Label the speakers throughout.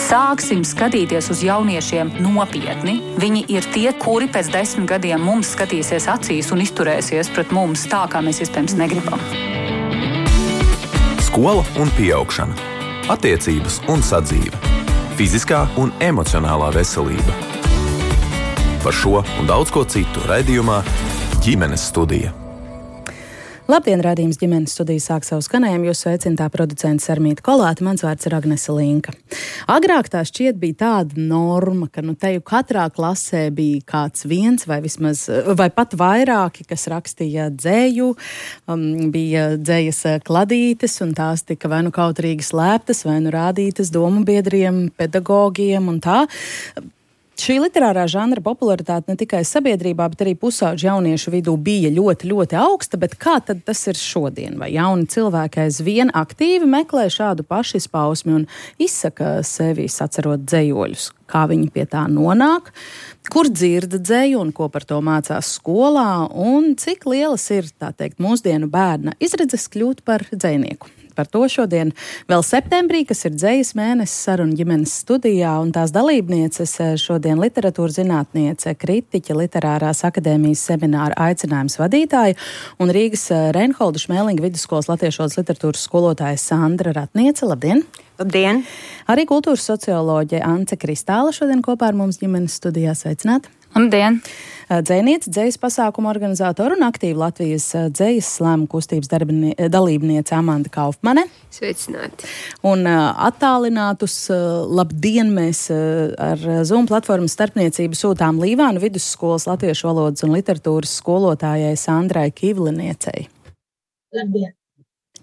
Speaker 1: Sāksim skatīties uz jauniešiem nopietni. Viņi ir tie, kuri pēc 10 gadiem mums skatīsies acīs un izturēsies pret mums tā, kā mēs iespējams negribam.
Speaker 2: Skola un pieaugšana. Attiecības un sadzīve. Fiziskā un emocionālā veselība. Par šo un daudz ko citu raidījumā Ģimenes studija.
Speaker 3: Labdien, raidījums Ģimenes studija sāk savu skanējumu. Jūs sveicināta producente Sarmīta Kolāte, mans vārds ir Agnese Linka. Agrāk tā šķiet bija tāda norma, ka te jau katrā klasē bija kāds viens vai pat vairāki, kas rakstīja dzēju, bija dzējas kladītes, un tās tika vai nu kautrīgi slēptas, vai nu rādītas domu biedriem, pedagogiem un tā. Šī literārā žanra popularitāte ne tikai sabiedrībā, bet arī pusauģu jauniešu vidū bija ļoti, ļoti augsta, bet kā tad tas ir šodien? Vai jauni cilvēki aizvien aktīvi meklē šādu pašizpausmi un izsaka sevi sacerot dzējoļus? Kā viņi pie tā nonāk? Kur dzirda dzēju un ko par to mācās skolā? Un cik lielas ir, tā teikt, mūsdienu bērna izredzes kļūt par dzejnieku? Par to šodien vēl septembrī, kas ir dzējas mēnesis, saruna Ģimenes studijā, un tās dalībnieces šodien literatūras zinātniece, kritiķe, Literārās akadēmijas semināra aicinājums vadītāja un Rīgas Reinholda Šmēlinga vidusskolas latviešu literatūras skolotāja Sandra Ratniece. Labdien!
Speaker 4: Labdien!
Speaker 3: Arī kultūras socioloģe Ance Kristāla šodien kopā ar mums Ģimenes studijā. Sveicināti!
Speaker 1: Labdien!
Speaker 3: Dzejniece, dzejas pasākumu organizātora un aktīva Latvijas dzejas slēmu kustības dalībniece Amanda Kaufmane.
Speaker 4: Sveicināti!
Speaker 3: Un attālinātus labdien mēs ar Zoom platformas starpniecību sūtām Līvānu vidusskolas latviešu valodas un literatūras skolotājai Sandrai Kivliniecei.
Speaker 4: Labdien!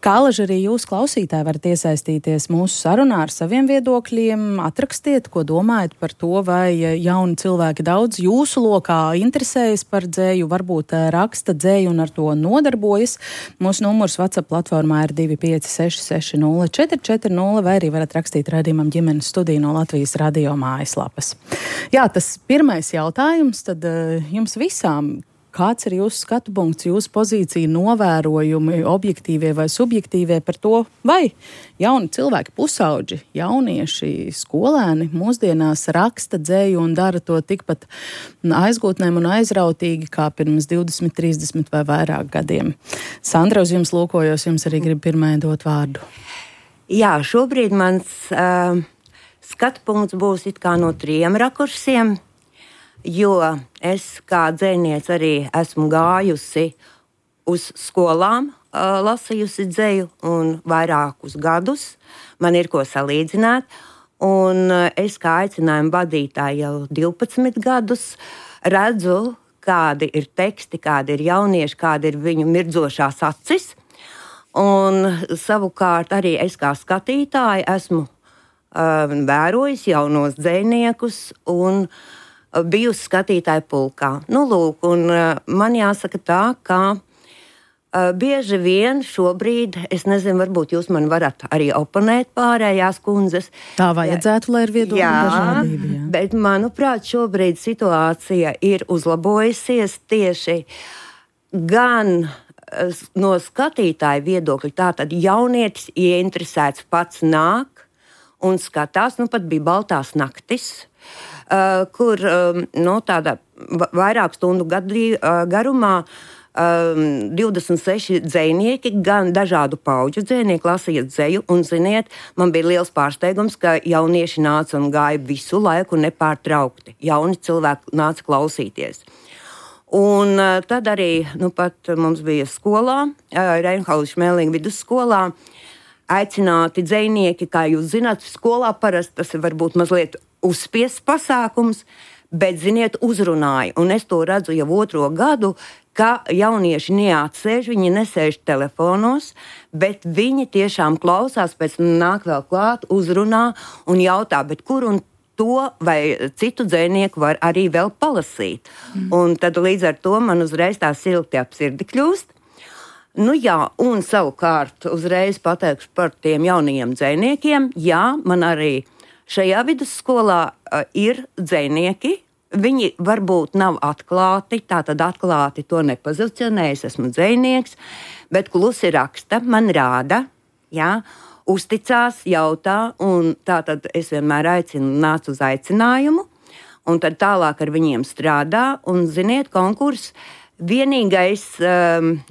Speaker 3: Kā alaži arī jūs, klausītāji, varat iesaistīties mūsu sarunā ar saviem viedokļiem, atrakstiet, ko domājat par to, vai jauni cilvēki daudz jūsu lokā interesējas par dzēju, varbūt raksta dzēju un ar to nodarbojas. Mūsu numurs WhatsApp platformā ir 25660 vai arī varat rakstīt raidījumam Ģimenes studija no Latvijas radio mājaslapas. Jā, tas pirmais jautājums tad jums visām. Kāds ir jūsu skatu punkts, jūsu pozīcija, novērojumi, objektīvie vai subjektīvie par to, vai jauni cilvēki, pusauģi, jaunieši, skolēni mūsdienās raksta dzēju un dara to tikpat aizgūtnēm un aizrautīgi kā pirms 20, 30 vai vairāk gadiem? Sandra, uz jums lūkojos, jums arī grib pirmajai dot vārdu.
Speaker 4: Jā, šobrīd mans skatu punkts būs it kā no 3 rakursiem. Jo es kā dzejniece arī esmu gājusi uz skolām, lasījusi dzeju un vairākus gadus. Man ir ko salīdzināt. Un es kā aicinājuma vadītāja jau 12 gadus redzu, kādi ir teksti, kādi ir jaunieši, kādi ir viņu mirdzošās acis. Un savukārt arī es kā skatītāja esmu vērojis jaunos dzejniekus un bijusi skatītāja pulkā. Nu, lūk, un man jāsaka tā, ka bieži vien šobrīd, es nezinu, varbūt jūs man varat arī oponēt pārējās kundzes.
Speaker 3: Tā vajadzētu, lai ir viedokļu dažādība. Jā,
Speaker 4: bet manuprāt, šobrīd situācija ir uzlabojusies tieši gan no skatītāja viedokļa. Tātad jaunietis ieinteresēts pats nāk un skatās, nu pat bija Baltās naktis, kur tāda vairāk stundu garumā 26 dzejnieki, gan dažādu pauģu dzejnieki lasīja dzeju, un, ziniet, man bija liels pārsteigums, ka jaunieši nāca un gāja visu laiku nepārtraukti. Jauni cilvēki nāca klausīties. Un tad arī, pat mums bija skolā, Reinholda Šmēlinga vidusskolā, aicināti dzejnieki, kā jūs zināt, skolā parasti tas ir varbūt mazliet uzspiests pasākums, bet, ziniet, uzrunāja. Un es to redzu jau 2. gadu, ka jaunieši neatsēž, viņi nesēž telefonos, bet viņi tiešām klausās, pēc tam nāk vēl klāt, uzrunā un jautā, bet kur un to vai citu dzejnieku var arī vēl palasīt. Un tad līdz ar to man uzreiz tā silti ap sirdi kļūst. Nu jā, un savukārt uzreiz pateikšu par tiem jaunajiem dzejniekiem. Jā, man arī šajā vidusskolā ir dzejnieki. Viņi varbūt nav atklāti, tātad atklāti to nepozicionē, es esmu dzejnieks, bet klusi raksta, man rāda, jā, uzticās, jautā, un tātad es vienmēr nācu uz aicinājumu, un tad tālāk ar viņiem strādā, un, ziniet, konkurss, vienīgais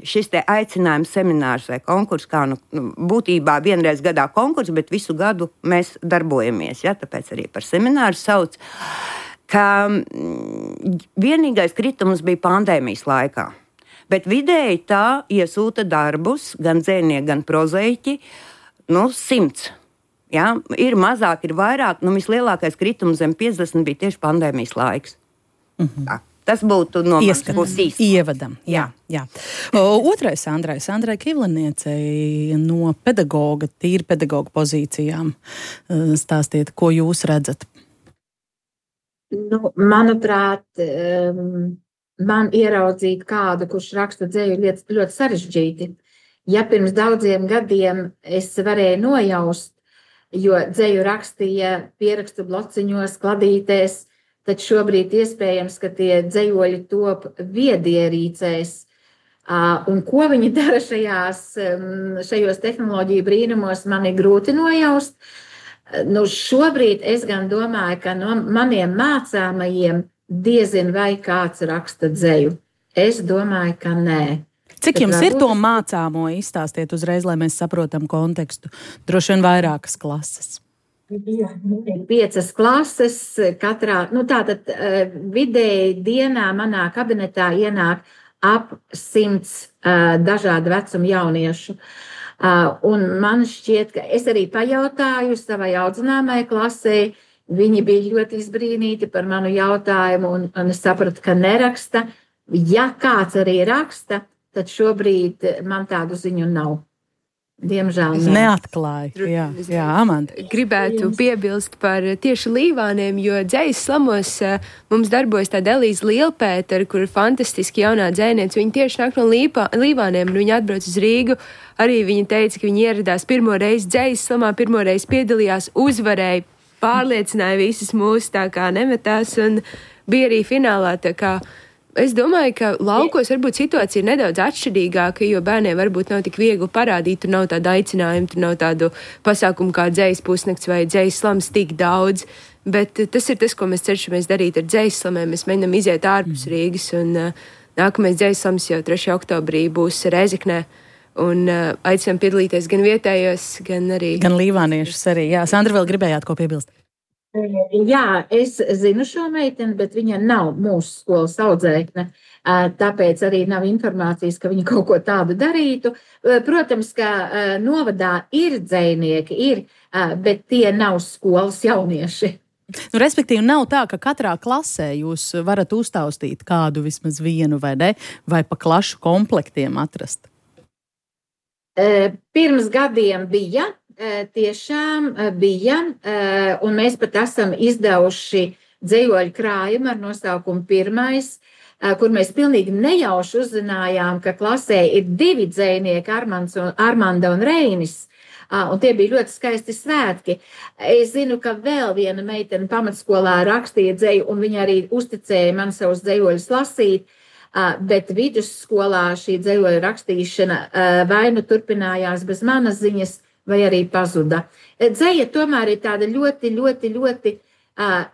Speaker 4: šis te aicinājums seminārs vai konkurss, kā būtībā vienreiz gadā konkurss, bet visu gadu mēs darbojamies, ja, tāpēc arī par semināru sauc, ka vienīgais kritums bija pandēmijas laikā. Bet vidēji tā iesūta darbus, gan dzēnieki, gan prozaiķi, 100. Ja? Ir mazāk, ir vairāk, vislielākais kritums zem 50 bija tieši pandēmijas laiks. Tā. Tas būtu no manas puses
Speaker 3: ievadam. Jā. Otrais Sandrai Kivliniecei no pedagoga, tīri pedagoga pozīcijām. Stāstiet, ko jūs redzat?
Speaker 5: Manuprāt, man ieraudzīt kādu, kurš raksta dzēju ļoti sarežģīti. Ja pirms daudziem gadiem es varēju nojaust, jo dzēju rakstīja pierakstu blociņos, kladītēs, tad šobrīd iespējams, ka tie dzējoļi top viedierīcēs. Un ko viņi dara šajos tehnoloģiju brīnumos, man ir grūti nojaust. Šobrīd es gan domāju, ka no maniem mācāmajiem diezin vai kāds raksta dzēju. Es domāju, ka nē.
Speaker 3: Cik jums ir to mācāmo? Izstāstiet uzreiz, lai mēs saprotam kontekstu. Droši vien vairākas klases.
Speaker 5: 5 klases katrā. Tātad vidēji dienā manā kabinetā ienāk ap 100 dažādu vecumu jauniešu. Un man šķiet, ka es arī pajautāju savai audzināmai klasē. Viņi bija ļoti izbrīnīti par manu jautājumu un es sapratu, ka neraksta. Ja kāds arī raksta, tad šobrīd man tādu ziņu nav. Diemžēl
Speaker 3: neatklāju. Jā, Amanda.
Speaker 6: Gribētu piebilst par tieši līvāniem, jo dzējas slamos mums darbojas tāda Elīze Lielpētera, kur ir fantastiski jaunā dzēniece. Viņa tieši nāk no līvāniem, un viņa atbrauc uz Rīgu. Arī viņa teica, ka viņa ieradās pirmo reizi dzējas slamā, pirmo reizi piedalījās, uzvarēja, pārliecināja visas mūs, tā kā nemetās, un bija arī finālā, tā kā. Es domāju, ka laukos varbūt situācija ir nedaudz atšķirīgāka, jo bērniem varbūt nav tik viegli parādīt, tur nav tāda aicinājuma, tur nav tādu pasākumu kā dzējas pusnakts vai dzējas slams tik daudz, bet tas ir tas, ko mēs cenšamies darīt ar dzējas slamiem. Mēs mēģinām iziet ārpus Rīgas, un nākamais dzējas slams jau 3. oktobrī būs Rēzeknē, un aicinām piedalīties gan vietējos, gan arī...
Speaker 3: Gan līvāniešus arī, jā. Sandra, vēl gribējāt ko piebilst?
Speaker 5: Jā, es zinu šo meiteni, bet viņa nav mūsu skolas audzēkne, tāpēc arī nav informācijas, ka viņa kaut ko tādu darītu. Protams, ka novadā ir dzējnieki, bet tie nav skolas jaunieši.
Speaker 3: Respektīvi, nav tā, ka katrā klasē jūs varat uztaustīt kādu vismaz vienu vai ne, vai pa klašu komplektiem atrast?
Speaker 5: Pirms gadiem bija. Tiešām bija, un mēs pat esam izdevuši dzējoļu krājumu ar nosaukumu Pirmais, kur mēs pilnīgi nejauši uzzinājām, ka klasē ir 2 dzējnieki, Armanda un Reinis, un tie bija ļoti skaisti svētki. Es zinu, ka vēl viena meitene pamatskolā rakstīja dzēju, un viņa arī uzticēja man savus dzējoļus lasīt, bet vidusskolā šī dzējoļu rakstīšana vai nu turpinājās bez manas ziņas, vai arī pazuda. Dzēja tomēr ir tāda ļoti, ļoti, ļoti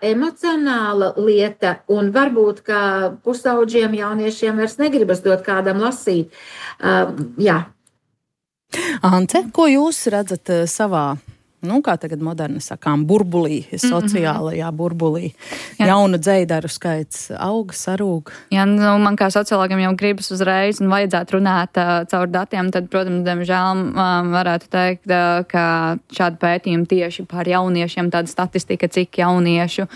Speaker 5: emocionāla lieta, un varbūt, ka pusauģiem jauniešiem vairs negribas dot kādam lasīt. Jā.
Speaker 3: Ante, ko jūs redzat savā, kā tagad moderni sakām, burbulī, sociālajā burbulī? Jaunu dzējdaru skaits aug, sarūg?
Speaker 7: Jā, man kā sociologam jau gribas uzreiz un vajadzētu runāt caur datiem, tad, protams, diemžēl varētu teikt, ka šādi pētījumi tieši par jauniešiem, tāda statistika, cik jauniešu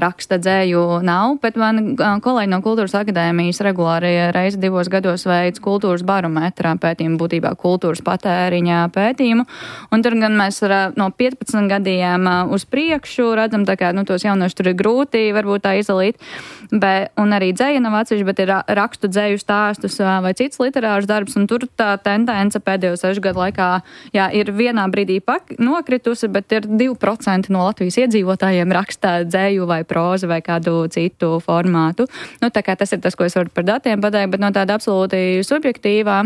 Speaker 7: raksta dzēju nav, bet man kolēģi no Kultūras akadēmijas regulāri reizi 2 gados veids kultūras barometrā pētījumu, būtībā kultūras patēriņā pētījumu, un tur gan mēs no 15 gadiem uz priekšu redzam, tā kā, tos jauniešus tur ir grūti varbūt tā izdalīt, un arī dzēja nav atsevišķi, bet ir rakstu dzēju stāstus vai cits literārs darbs, un tur tā tendence pēdējo 6 gadu laikā, ir vienā brīdī nokritusi, bet ir 2% no Latvijas iedzīvotājiem rakstā dzēju vai prózu vai kādu citu formātu. Tā kā tas ir tas, ko es varu par datiem pateikt, bet no tāda absolūti subjektīvā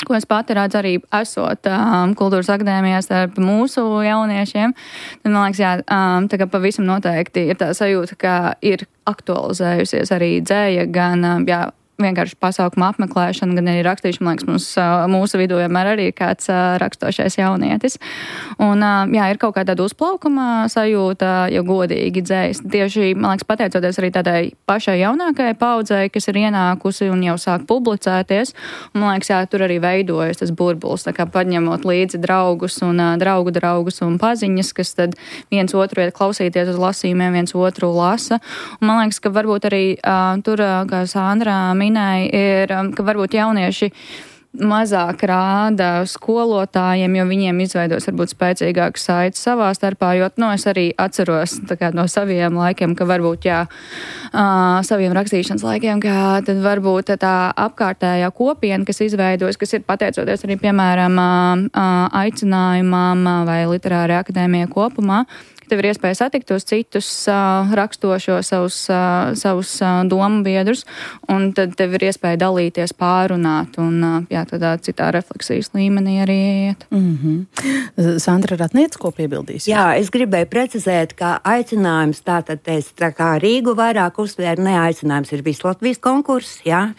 Speaker 7: ko es pati redzu arī esot kultūras akadēmijās ar mūsu jauniešiem, tad man liekas, jā, tā kā pavisam noteikti ir tā sajūta, ka ir aktualizējusies arī dzēja, gan, jā, vienkārši pasākuma apmeklēšana, gan arī rakstīšana. Man liekas, mūsu vidū vienmēr arī ir kāds rakstošais jaunietis. Un, jā, ir kaut kā tāda uzplaukuma sajūta, ja godīgi dzējas. Tieši, man liekas, pateicoties arī tādai pašai jaunākajai paudzei, kas ir ienākusi un jau sāk publicēties. Un, man liekas, jā, tur arī veidojas tas burbulis, tā kā paņemot līdzi draugus un draugus un paziņas, kas tad viens otru iet klausīties uz lasījumiem, viens otru lasa. Un, man liekas, ka varbūt arī tur, kā Sandra ir, ka varbūt jaunieši mazāk rāda skolotājiem, jo viņiem izveidos varbūt spēcīgākas saites savā starpā, jo, es arī atceros tā kā no saviem laikiem, ka varbūt, jā, saviem rakstīšanas laikiem, ka tad varbūt tā apkārtējā kopiena, kas izveidojas, kas ir pateicoties arī, piemēram, aicinājumam vai literārai akadēmijai kopumā, tev ir iespēja satikt tos citus rakstošo savus domu biedrus, un tad tev ir iespēja dalīties, pārunāt, un jā, tādā citā refleksijas līmenī arī iet.
Speaker 3: Sandra Ratniec, ko piebildīs?
Speaker 4: Jā, es gribēju precizēt, ka aicinājums tātad tā kā Rīgu vairāk uzsvēra, neaicinājums ir viss Latvijas konkurss, jā.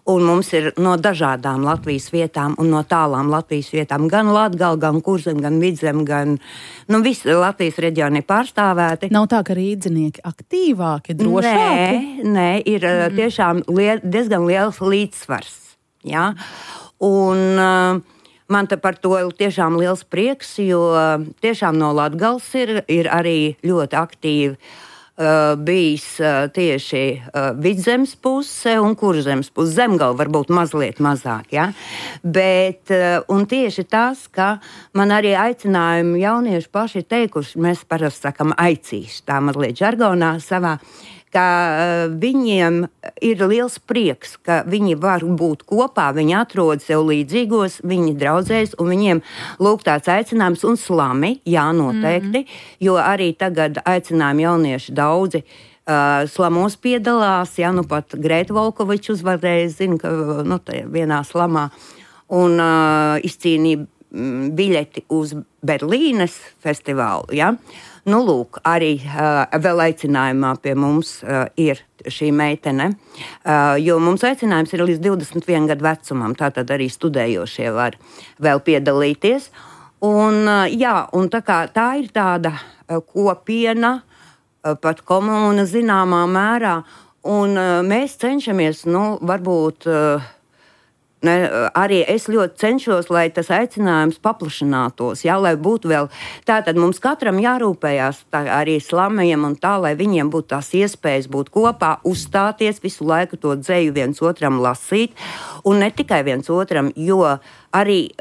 Speaker 4: Un mums ir no dažādām Latvijas vietām un no tālām Latvijas vietām gan Latgala, gan Kurzem, gan Vidzem, gan visi Latvijas reģioni pārstāvēti.
Speaker 3: Nav tā, ka rīdzinieki aktīvāki, drošāki?
Speaker 4: Nē, ir tiešām diezgan liels līdzsvars. Jā? Un man te par to tiešām liels prieks, jo tiešām no Latgales ir arī ļoti aktīvi bijis tieši Vidzemes puse un Kurzemes puse. Zemgala varbūt mazliet mazāk, ja? Bet, un tieši tas, ka man arī aicinājumi jaunieši paši teikuši, mēs parasti sakam aicīši, tā mazliet žargonā savā, ka viņiem ir liels prieks, ka viņi var būt kopā, viņi atrod sev līdzīgos, viņi draudzējas, un viņiem lūk tāds aicinājums un slami, jā, noteikti, jo arī tagad aicinājumi jaunieši daudzi slamos piedalās, jā, pat Grēta Volkoviča uzvarēja, zinu, ka vienā slamā, un izcīnīja biļeti uz Berlīnes festivālu, jā. Lūk, arī vēl aicinājumā pie mums ir šī meitene, jo mums aicinājums ir līdz 21 gadu vecumam, tātad arī studējošie var vēl piedalīties. Un, jā, un tā ir tāda kopiena, pat komuna zināmā mērā, un mēs cenšamies, varbūt... Arī es ļoti cenšos, lai tas aicinājums paplašinātos, jā, lai būtu vēl. Tātad mums katram jārūpējās arī slamajiem un tā, lai viņiem būtu tās iespējas būt kopā, uzstāties, visu laiku to dzēju viens otram lasīt, un ne tikai viens otram, jo arī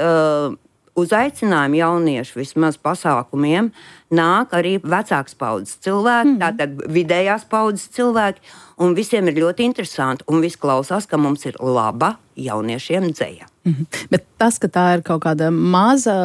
Speaker 4: uz aicinājumu jauniešu vismaz pasākumiem nāk arī vecāks paudzes cilvēki, tātad vidējās paudzes cilvēki, un visiem ir ļoti interesanti, un viss klausās, ka mums ir laba jauniešiem dzēja.
Speaker 3: Bet tas, ka tā ir kaut kāda maza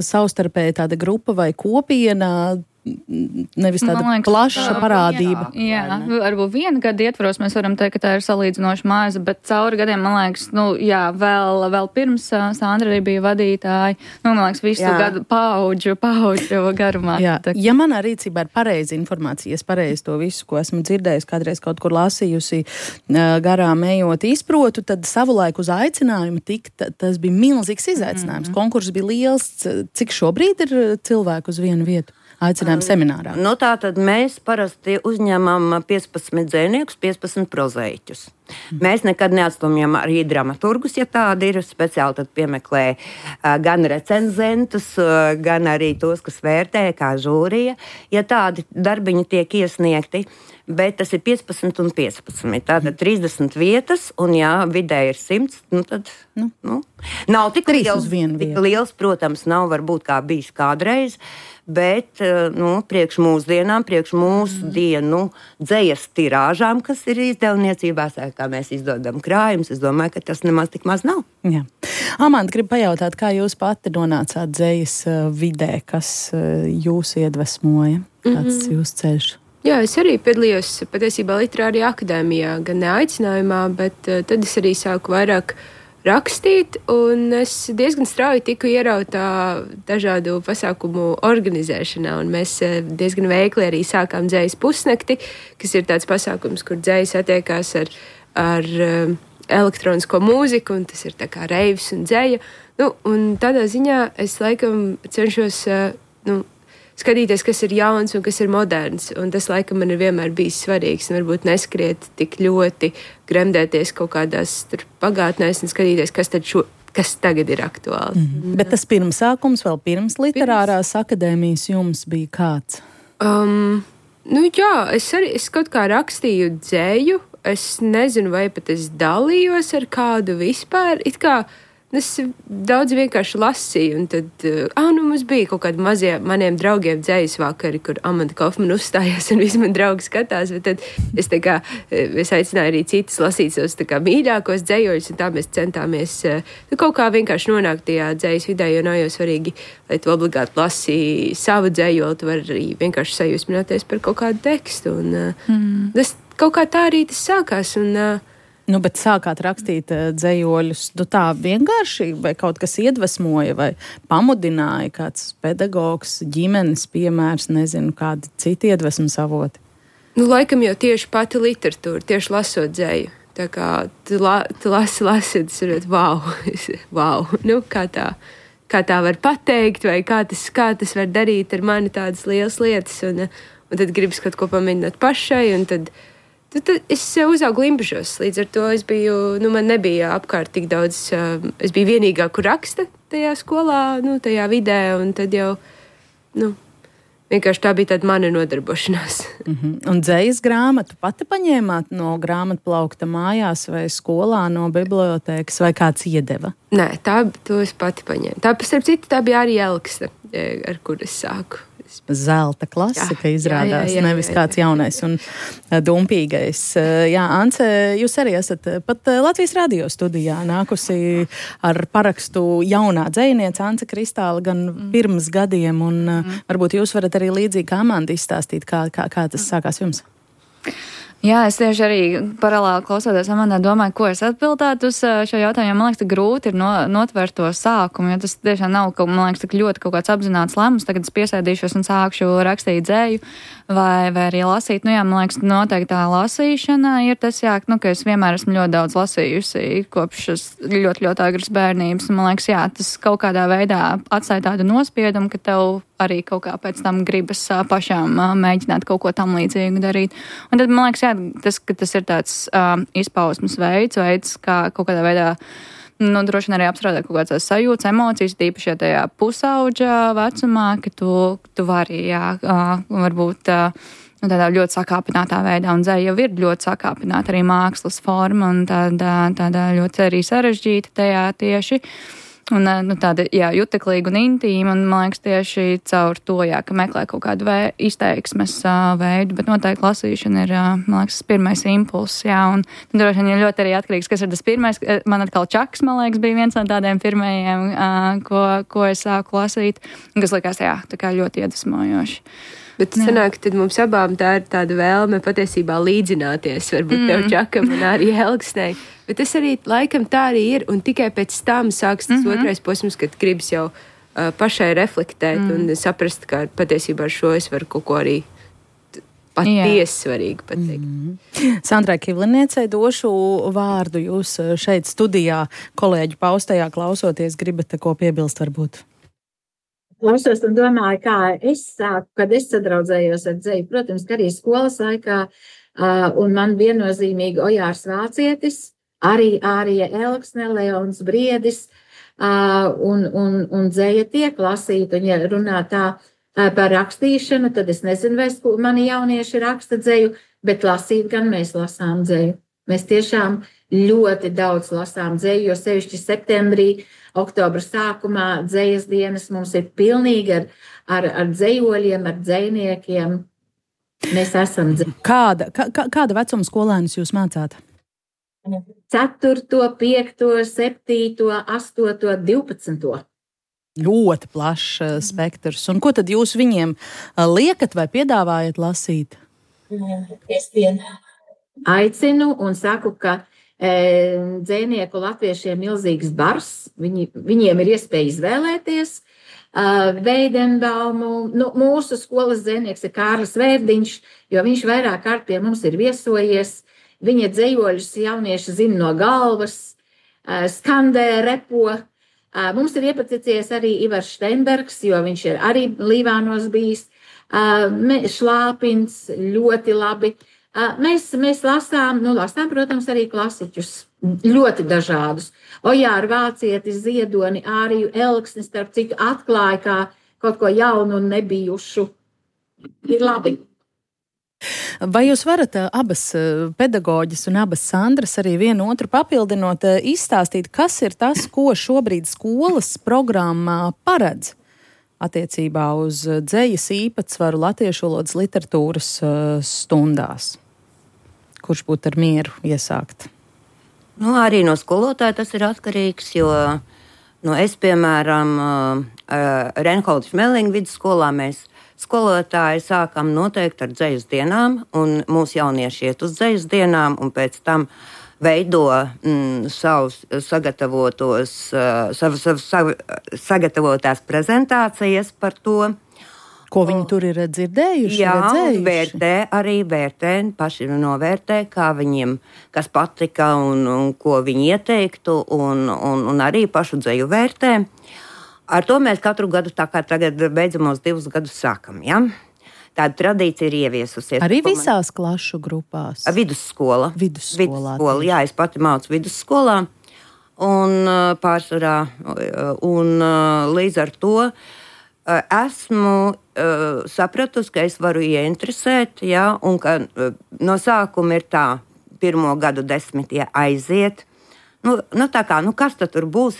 Speaker 3: savstarpēja tāda grupa vai kopiena, nevis tāda plaša parādība.
Speaker 7: Jā, varbūt viena gada ietvaros mēs varam teikt, ka tā ir salīdzinoši maza, bet cauri gadiem, man liekas, vēl pirms Sandra arī bija vadītāji, man liekas, visu gadu paudžu garumā.
Speaker 3: Jā. Ja manā rīcībā ir pareiza informācija, es pareizi to visu, ko esmu dzirdējusi, kādreiz kaut kur lasījusi, garām ejot izprotu, tad savulaik uz aicinājumu tas bija milzīgs izaicinājums. Konkurss bija liels. Cik šobrīd ir cilvēku uz vienu vietu? Aicinājuma seminārā.
Speaker 4: Tātad mēs parasti uzņemam 15 dzējniekus, 15 prozaiķus. Mēs nekad neatstumjam arī dramaturgus, ja tādi ir. Speciāli tad piemeklē gan recenzentus, gan arī tos, kas vērtē, kā žūrija, ja tādi darbiņi tiek iesniegti. Bet tas ir 15 un 15. Tātad 30 vietas, un jā, vidē ir 100, tad nav tik liels, protams, nav varbūt kā bijis kādreiz, bet priekš mūsdienām, priekš mūsu dienu dzejas tirāžām, kas ir izdevniecībā, kā mēs izdodam krājumus, es domāju, ka tas nemaz tik maz nav.
Speaker 3: Jā. Amanda, gribu pajautāt, kā jūs pati nonācāt dzejas vidē, kas jūs iedvesmoja? Kāds jūs ceļš?
Speaker 6: Jā, es arī piedalījos patiesībā literārajā akadēmijā, gan neaicinājumā, bet tad es arī sāku vairāk rakstīt, un es diezgan strauji tiku ierauta dažādu pasākumu organizēšanā, un mēs diezgan veikli arī sākām dzejas pusnakti, kas ir tāds pasākums, kur dzejas attiekās ar elektronisko mūziku, un tas ir tā kā reivs un dzeja. Un tādā ziņā es laikam cenšos skatīties, kas ir jauns un kas ir moderns. Un tas, laikam, man ir vienmēr bijis svarīgs. Un varbūt neskriet tik ļoti, gremdēties kaut kādās pagātnēs un skatīties, kas tagad ir aktuāli.
Speaker 3: Bet tas pirmsākums vēl pirms literārās akadēmijas jums bija kāds?
Speaker 6: Jā, es kaut kā rakstīju dzeju. Es nezinu, vai pat es dalījos ar kādu vispār. It kā es daudz vienkārši lasīju, un tad mums bija kaut kādi mazie maniem draugiem dzejas vakari, kur Amanda Kofmana uzstājās, un visi man draugi skatās, bet tad es aicināju arī citus lasīt savus mīļākos dzejoļus, un tā mēs centāmies kaut kā vienkārši nonākt tajā dzejas vidē, jo nav jau svarīgi, lai tu obligāti lasīji savu dzejoli, tu vari arī vienkārši sajūsmināties par kaut kādu tekstu, un tas kaut kā tā arī tas sākās, un
Speaker 3: bet sākāt rakstīt dzejoļus tā vienkārši, vai kaut kas iedvesmoja, vai pamudināja kāds pedagogs, ģimenes piemērs, nezinu, kādi citi iedvesmas avoti?
Speaker 6: Laikam jau tieši pati literatūra, tieši lasot dzeju. Tā kā tu lasi, tas ir wow, kā tā var pateikt, vai kā tas var darīt ar mani tādas lielas lietas, un tad gribas kaut ko pamēģināt pašai, un tad es uzaugu Limbažos, līdz ar to es biju, man nebija apkārt tik daudz, es biju vienīgā, kur raksta tajā skolā, tajā vidē, un tad jau, vienkārši tā bija tāda mana nodarbošanās.
Speaker 3: Un dzejas grāmatu pati paņēmāt no grāmatplaukta mājās vai skolā no bibliotēkas, vai kāds iedeva?
Speaker 6: Nē, to es pati paņēmu. Starp citu, tā bija arī Elksne, ar kur es sāku.
Speaker 3: Zelta klasika izrādās, nevis kāds jaunais un dumpīgais. Jā, Ance, jūs arī esat pat Latvijas radio studijā nākusi ar parakstu jaunā dzejniece Ance Kristāla gan pirms gadiem, un varbūt jūs varat arī līdzīgi kā Amanda izstāstīt, kā tas sākās jums.
Speaker 7: Jā, es tieši arī paralēli klausoties Amandā domāju, ko es atbildētu uz šo jautājumu. Man liekas, grūti ir notvert to sākumu, jo tas tiešām nav, man liekas, tik ļoti kaut kāds apzināts lēmums. Tagad es piesēdīšos un sākšu rakstīt dzēju vai arī lasīt. Man liekas, noteikti tā lasīšana ir tas, ka es vienmēr esmu ļoti daudz lasījusi kopš ļoti, ļoti agras bērnības. Man liekas, tas kaut kādā veidā atstāja tādu nospiedumu, ka tev arī kaut kā pēc tam gribas pašām mēģināt kaut ko tam līdzīgu darīt. Un tad, man liekas, tas ir tāds izpausmes veids, kā kaut kādā veidā, droši vien arī apstrādāt kaut kādas sajūtas, emocijas, tīpaši tajā pusauģa vecumā, ka tu vari, varbūt tādā ļoti sakāpinātā veidā, un dzeja jau ir ļoti sakāpināta arī mākslas forma, un tāda ļoti arī sarežģīta tajā tieši. Un tāda, juteklīga un intīma, un, man liekas, tieši caur to, ka meklē kaut kādu izteiksmes veidu, bet noteikti lasīšana ir, man liekas, pirmais impulss, un droši vien ir ļoti arī atkarīgs, kas ir tas pirmais. Man atkal Čaks, man liekas, bija viens no tādiem pirmajiem, ko es sāku lasīt, kas likās, tā kā ļoti iedvesmojoši.
Speaker 6: Bet sanāk, tad mums abām tā ir tāda vēlme patiesībā līdzināties, varbūt tev Čakam un arī Elksnei. Bet tas arī laikam tā arī ir, un tikai pēc tam sāks tas otrais posms, kad gribas jau pašai reflektēt un saprast, ka patiesībā ar šo es varu kaut ko arī patiesi svarīgi pateikt.
Speaker 3: Sandrai Kivliniecei došu vārdu. Jūs šeit studijā kolēģu paustajā klausoties, gribat ko piebilst varbūt?
Speaker 5: Klausos un domāju, kā es sāku, kad es sadraudzējos ar dzeju. Protams, ka arī skolas laikā, un man viennozīmīgi Ojārs Vācietis, arī Ārija Elksne, Leons Briedis, un dzeja tiek lasīta. Un ja runā tā par rakstīšanu, tad es nezinu, vai mani jaunieši raksta dzeju, bet lasīt gan mēs lasām dzeju. Mēs tiešām ļoti daudz lasām dzeju, jo sevišķi septembrī, oktobra sākumā dzejas dienas mums ir pilnīgi ar dzejoļiem, ar dzejniekiem. Mēs esam dzeju.
Speaker 3: Kāda vecuma skolēnus jūs mācāt?
Speaker 5: 4., 5., 7., 8., 12.
Speaker 3: Ļoti plašs spektrs. Un ko tad jūs viņiem liekat vai piedāvājat lasīt?
Speaker 5: Es aicinu un saku, ka dzejnieku latviešiem milzīgs bars. Viņiem ir iespēja izvēlēties Veidenbaumu. Mūsu skolas dzejnieks ir Kārlis Vērdiņš, jo viņš vairāk kārt pie mums ir viesojies. Viņa dzejoļus jaunieši zina no galvas, skandē, repo. Mums ir iepaticies arī Ivars Steinbergs, jo viņš ir arī Līvānos bijis. Šlāpins ļoti labi. Mēs lasām, protams, arī klasiķus, ļoti dažādus. Ojāru Vācieti, Ziedoni, Āriju Elksni, starp citu, atklāja kā kaut ko jaunu un nebijušu. Ir labi.
Speaker 3: Vai jūs varat abas pedagoģis un abas Sandras arī vienu otru papildinot, izstāstīt, kas ir tas, ko šobrīd skolas programmā paredz attiecībā uz dzejas īpatsvaru latviešu valodas literatūras stundās? Kurš būtu ar mieru iesākt?
Speaker 4: Arī no skolotāja tas ir atkarīgs, jo es, piemēram, Reinholda Šmelinga vidusskolā mēs skolotāji sākam noteikti ar dzejas dienām, un mūsu jaunieši iet uz dzejas dienām, un pēc tam veido savas sagatavotās prezentācijas par to.
Speaker 3: Ko viņi tur ir dzirdējuši?
Speaker 4: Jā,
Speaker 3: redzējuši?
Speaker 4: vērtē, paši novērtē, kā viņiem, kas patika un ko viņi ieteiktu, un arī pašu dzeju vērtē. Ar to mēs katru gadu, tā kā tagad beidzamos 2 gadus sākam, ja? Tāda tradīcija ir ieviesusies.
Speaker 3: Arī visās klašu grupās?
Speaker 4: Vidusskola.
Speaker 3: Vidusskolā.
Speaker 4: Jā, es pati mācu vidusskolā, un pārsvarā, un līdz ar to esmu sapratusi, ka es varu ieinteresēt, ja, un ka no sākuma ir tā, 1. gadu 10 aiziet. Kas tad tur būs?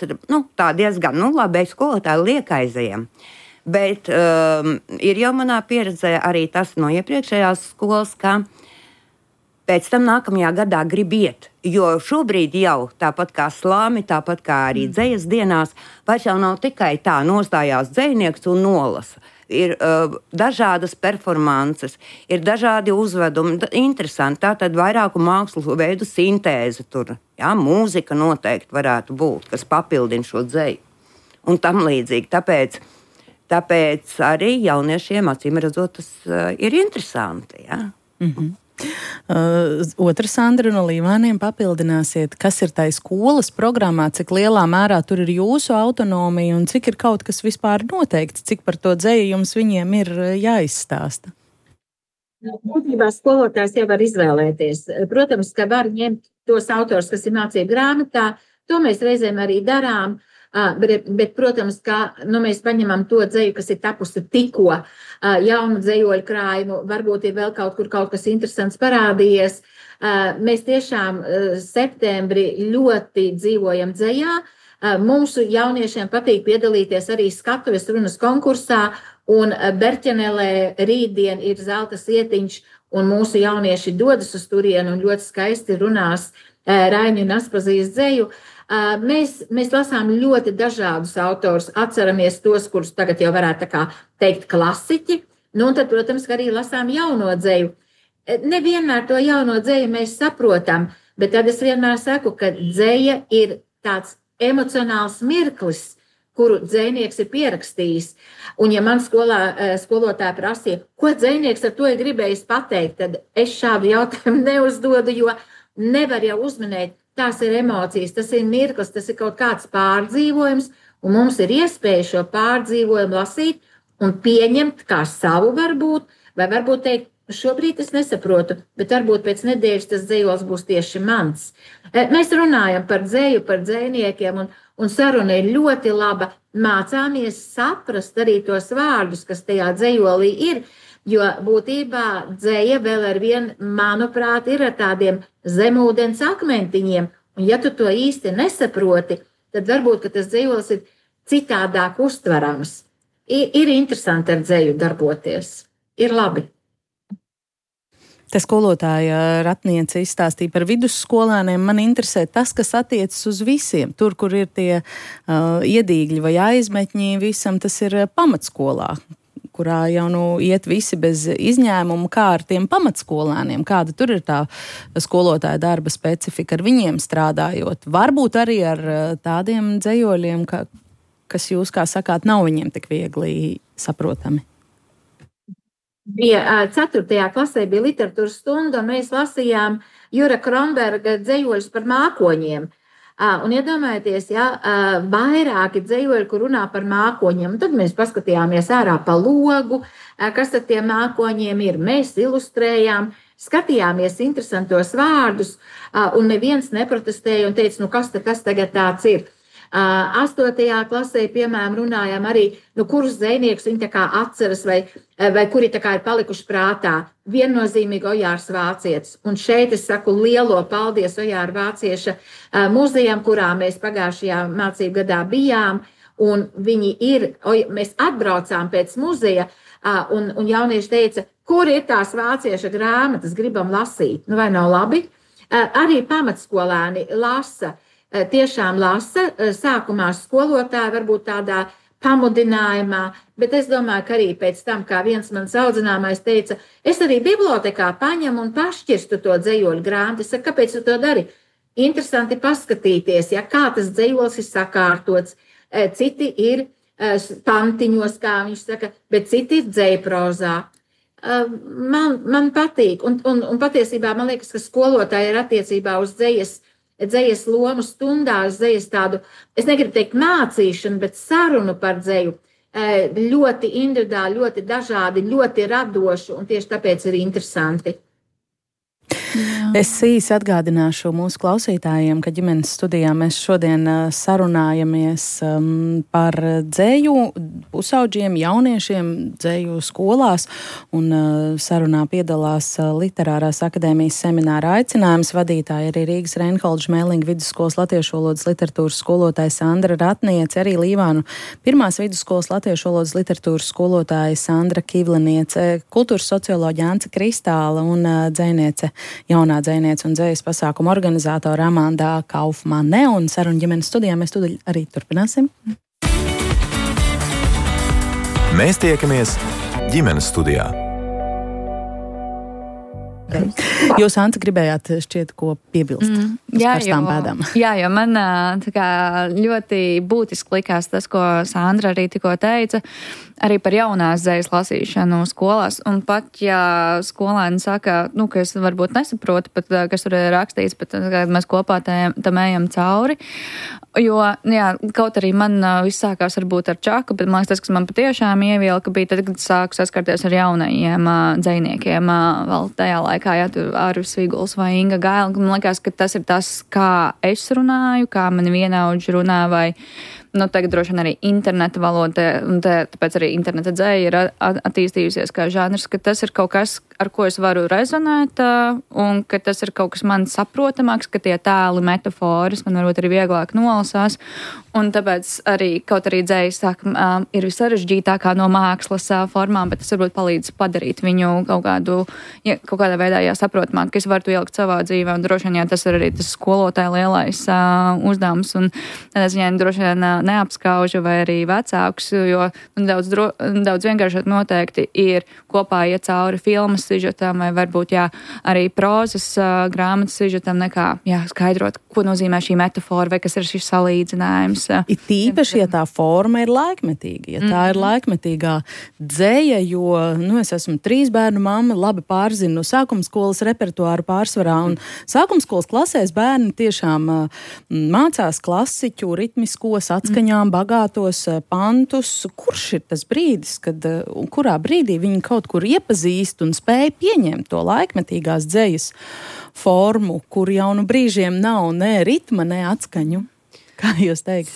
Speaker 4: Tā diezgan, labi, skolotāji liek aizējam. Bet ir jau manā pieredzē arī tas no iepriekšējās skolas, ka pēc tam nākamajā gadā grib iet. Jo šobrīd jau tāpat kā slāmi, tāpat kā arī dzejas dienās, vairs jau nav tikai tā nostājās dzejnieks un nolasa. Ir dažādas performances, ir dažādi uzvedumi, interesanti. Tā tad vairāku mākslu veidu sintēze tur. Jā, mūzika noteikti varētu būt, kas papildina šo dzeju. Un tam līdzīgi. Tāpēc arī jauniešiem, acīm redzot, tas ir interesanti. Jā.
Speaker 3: Otra Sandra no Līvāniem papildināsiet, kas ir tai skolas programmā, cik lielā mērā tur ir jūsu autonomija un cik ir kaut kas vispār noteikts, cik par to dzeju jums viņiem ir jāizstāsta?
Speaker 5: Būtībā skolotājs jau var izvēlēties. Protams, ka var ņemt tos autors, kas ir mācību grāmatā, to mēs reizēm arī darām. Bet, protams, ka mēs paņemam to dzeju, kas ir tapusi tikko jaunu dzejoļu krājumu, varbūt ir vēl kaut kas interesants parādījies. Mēs tiešām septembrī ļoti dzīvojam dzejā. Mūsu jauniešiem patīk piedalīties arī skatuves runas konkursā, un Berķenelē rītdien ir zelta sietiņš, un mūsu jaunieši dodas uz turienu un ļoti skaisti runās Raiņu un Aspazijas dzeju. Mēs lasām ļoti dažādus autorus, atceramies tos, kurus tagad jau varētu teikt klasiķi, un tad, protams, ka arī lasām jauno dzeju. Nevienmēr to jauno dzeju mēs saprotam, bet tad es vienmēr saku, ka dzeja ir tāds emocionāls mirklis, kuru dzejnieks ir pierakstījis. Un ja man skolotāja prasīja, ko dzejnieks ar to ir gribējis pateikt, tad es šādu jautājumu neuzdodu, jo nevar jau uzminēt. Tās ir emocijas, tas ir mirklis, tas ir kaut kāds pārdzīvojums, un mums ir iespēja šo pārdzīvojumu lasīt un pieņemt kā savu varbūt, vai varbūt teikt, šobrīd es nesaprotu, bet varbūt pēc nedēļas tas dzejols būs tieši mans. Mēs runājam par dzeju, par dzejniekiem, un saruna ir ļoti laba. Mācāmies saprast arī tos vārdus, kas tajā dzejolī ir, jo būtībā dzeja vēl ar vien, manuprāt, ir ar tādiem zemūdens akmentiņiem. Un ja tu to īsti nesaproti, tad varbūt, ka tas dzejols ir citādāk uztverams. Ir interesanti ar dzeju darboties. Ir labi.
Speaker 3: Te skolotāja Ratniece izstāstīja par vidusskolēniem. Man interesē tas, kas attiecas uz visiem. Tur, kur ir tie iedīgļi vai aizmetņi, visam tas ir pamatskolā. kurā jau iet visi bez izņēmumu, kā ar tiem pamatskolēniem, kāda tur ir tā skolotāja darba specifika ar viņiem strādājot. Varbūt arī ar tādiem dzejoļiem, kas jūs, kā sakāt, nav viņiem tik viegli saprotami.
Speaker 5: Bija 4. klasē bija literatūras stunda, un mēs lasījām Jura Kronberga dzejoļus par mākoņiem. Un iedomājieties, vairāki dzejoļi, kur runā par mākoņiem. Un tad mēs paskatījāmies ārā pa logu, kas tad tie mākoņiem ir. Mēs ilustrējām, skatījāmies interesantos vārdus, un neviens neprotestēja un teica, kas tas tagad tāds ir. 8. klasē, piemēram, runājām arī, kurus zvejniekus viņi tā kā atceras vai kuri tā kā ir palikuši prātā. Viennozīmīgi Ojārs Vācietis. Un šeit es saku lielo paldies Ojāra Vācieša muzejam, kurā mēs pagājušajā mācību gadā bijām. Un mēs atbraucām pēc muzeja, un jaunieši teica, kur ir tās vācieša grāmatas, gribam lasīt. Vai nav labi? Arī pamatskolēni lasa. Tiešām lasa, sākumā skolotāji varbūt tādā pamudinājumā, bet es domāju, ka arī pēc tam, kā viens mans audzināmais teica, es arī bibliotekā paņemu un pašķirstu to dzejoļu grāmatu. Es saku, kāpēc tu to dari? Interesanti paskatīties, kā tas dzejols ir sakārtots. Citi ir pantiņos, kā viņš saka, bet citi ir dzejprozā. Man patīk, un patiesībā man liekas, ka skolotāji ir attiecībā uz dzejas lomu stundās, dzejas tādu, es negribu teikt mācīšanu, bet sarunu par dzeju, ļoti individuāli, ļoti dažādi, ļoti radoši, un tieši tāpēc ir interesanti.
Speaker 3: Jā. Es īsi atgādināšu mūsu klausītājiem, ka ģimenes studijā mēs šodien sarunājamies par dzeju pusauģiem, jauniešiem dzeju skolās, un sarunā piedalās Literārās akadēmijas semināra aicinājums vadītāja arī Rīgas Reinholda Šmēlinga vidusskolas latviešu valodas literatūras skolotāja Sandra Ratniece, arī Līvānu pirmās vidusskolas latviešu valodas literatūras skolotāja Sandra Kivliniece, kultūras socioloģa Ance Kristāla un dzejniece, jaunā dzejniece un dzejas pasākuma organizātora Amanda Kaufmane, un sarunu ģimenes studijā mēs tūdaļ arī turpināsim.
Speaker 2: Mēs tiekamies ģimenes studijā.
Speaker 3: Jūs, Anta, gribējāt šķiet, ko piebilst uz karstām pēdām?
Speaker 7: Jā, jo man ļoti būtiski likās tas, ko Sandra arī tikko teica, arī par jaunās dzejas lasīšanu skolās. Un pat, ja skolēni saka, ka es varbūt nesaprotu, pat, kas tur ir rakstīts, bet mēs kopā tam ejam cauri. Jo, kaut arī man viss sākās varbūt ar čaku, bet man liekas, tas, kas man patiešām ievilka, bija tad, kad sāku saskarties ar jaunajiem dzejniekiem vēl tajā laikā. Tur Arvis Viguls vai Inga Gaila. Man liekas, ka tas ir tas, kā es runāju, kā mani vienaudži runā, vai tagad droši vien arī interneta valoda, un tāpēc arī interneta dzeja ir attīstījusies kā žanrs, ka tas ir kaut kas, ar ko es varu rezonēt, un ka tas ir kaut kas man saprotamāks, ka tie tēli, metaforas man varbūt arī vieglāk nolasās, un tāpēc arī kaut arī dzeja ir visarežģītākā no mākslas formām, bet tas varbūt palīdz padarīt viņu kaut kādā veidā saprotamāk, ka es varu to ielikt savā dzīvē, un droši vien, tas ir arī tas skolotāja lielais uzdevums, un tādā ziņā droši vien neapskaužu vai arī vecākus, jo daudz vienkāršāk noteikti ir kopā iet cauri filmas sižetam vai varbūt arī prozas grāmatas sižetam nekā skaidrot, ko nozīmē šī metafora vai kas ir šis salīdzinājums.
Speaker 3: Ir tīpaši, ja tā forma ir laikmetīga, ja tā ir laikmetīgā dzeja, jo es esmu 3 bērnu mamma, labi pārzinu sākumskolas repertuāru pārsvarā, un sākumskolas klasēs bērni tiešām mācās klasiķu, ritmiskos, atskaņām, bagātos pantus. Kurš ir tas brīdis, kurā brīdī viņi kaut kur iepazīst un spēj pieņemt to laikmetīgās dzejas formu, kur jau brīžiem nav ne ritma, ne atskaņu? Kā jūs teikt?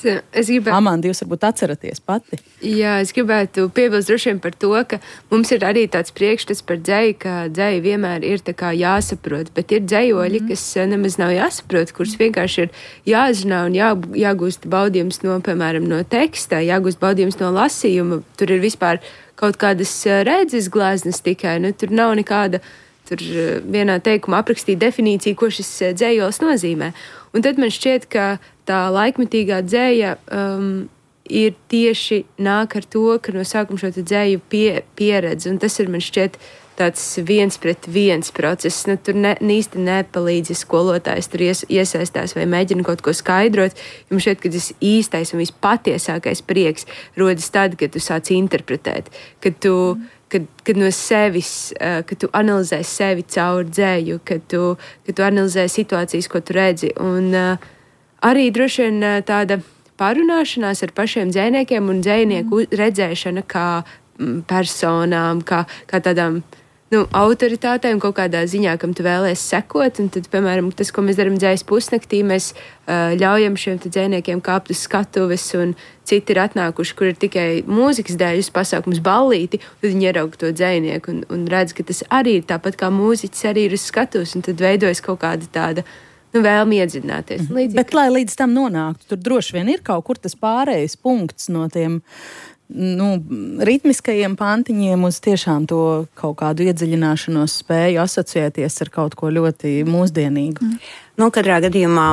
Speaker 3: Amanda, jūs varbūt atceraties pati.
Speaker 6: Jā, es gribētu piebilst droši vien par to, ka mums ir arī tāds priekšstats par dzeju, ka dzeja vienmēr ir tā kā jāsaprot, bet ir dzejoļi, kas nemaz nav jāsaprot, kurus vienkārši ir jāzina un jāgūst baudījums no, piemēram, no teksta, jāgūst baudījums no lasījuma. Tur ir vispār kaut kādas redzes gleznas tikai, tur nav nekāda tur vienā teikumā aprakstīt definīciju, ko šis dzejols nozīmē. Un tad man šķiet, ka tā laikmetīgā dzeja ir tieši nāk ar to, ka no sākuma šo dzēju pieredzi, un tas ir man šķiet tāds 1-pret-1 process. Nu, tur īsti nepalīdz, ja skolotājs tur iesaistās vai mēģina kaut ko skaidrot. Jums šķiet, ka tas īstais un vispatiesākais prieks rodas tad, kad tu sāc interpretēt, kad no sevis, kad tu analizē sevi caur dzēju, kad tu analizē situācijas, ko tu redzi. Un arī droši vien tāda pārunāšanās ar pašiem dzējniekiem un dzējnieku redzēšana kā personām, kā tādām autoritātēm kaut kādā ziņā, kam tu vēlies sekot. Un tad, piemēram, tas, ko mēs darām dzējas pusnaktī, mēs ļaujam šiem dzējniekiem kāpt uz skatuves, un citi ir atnākuši, kur ir tikai mūzikas dēļ pasākums ballīti, un tad viņi ieraug to dzējnieku un redz, ka tas arī ir tāpat kā mūziķis arī ir uz skatuves, un tad veidojas kaut kāda tāda vēlmi iedziļināties.
Speaker 3: Bet, lai līdz tam nonāktu, tur droši vien ir kaut kur tas pārējais punkts no tiem ritmiskajiem pantiņiem uz tiešām to kaut kādu iedziļināšanos spēju asociēties ar kaut ko ļoti mūsdienīgu.
Speaker 4: Katrā gadījumā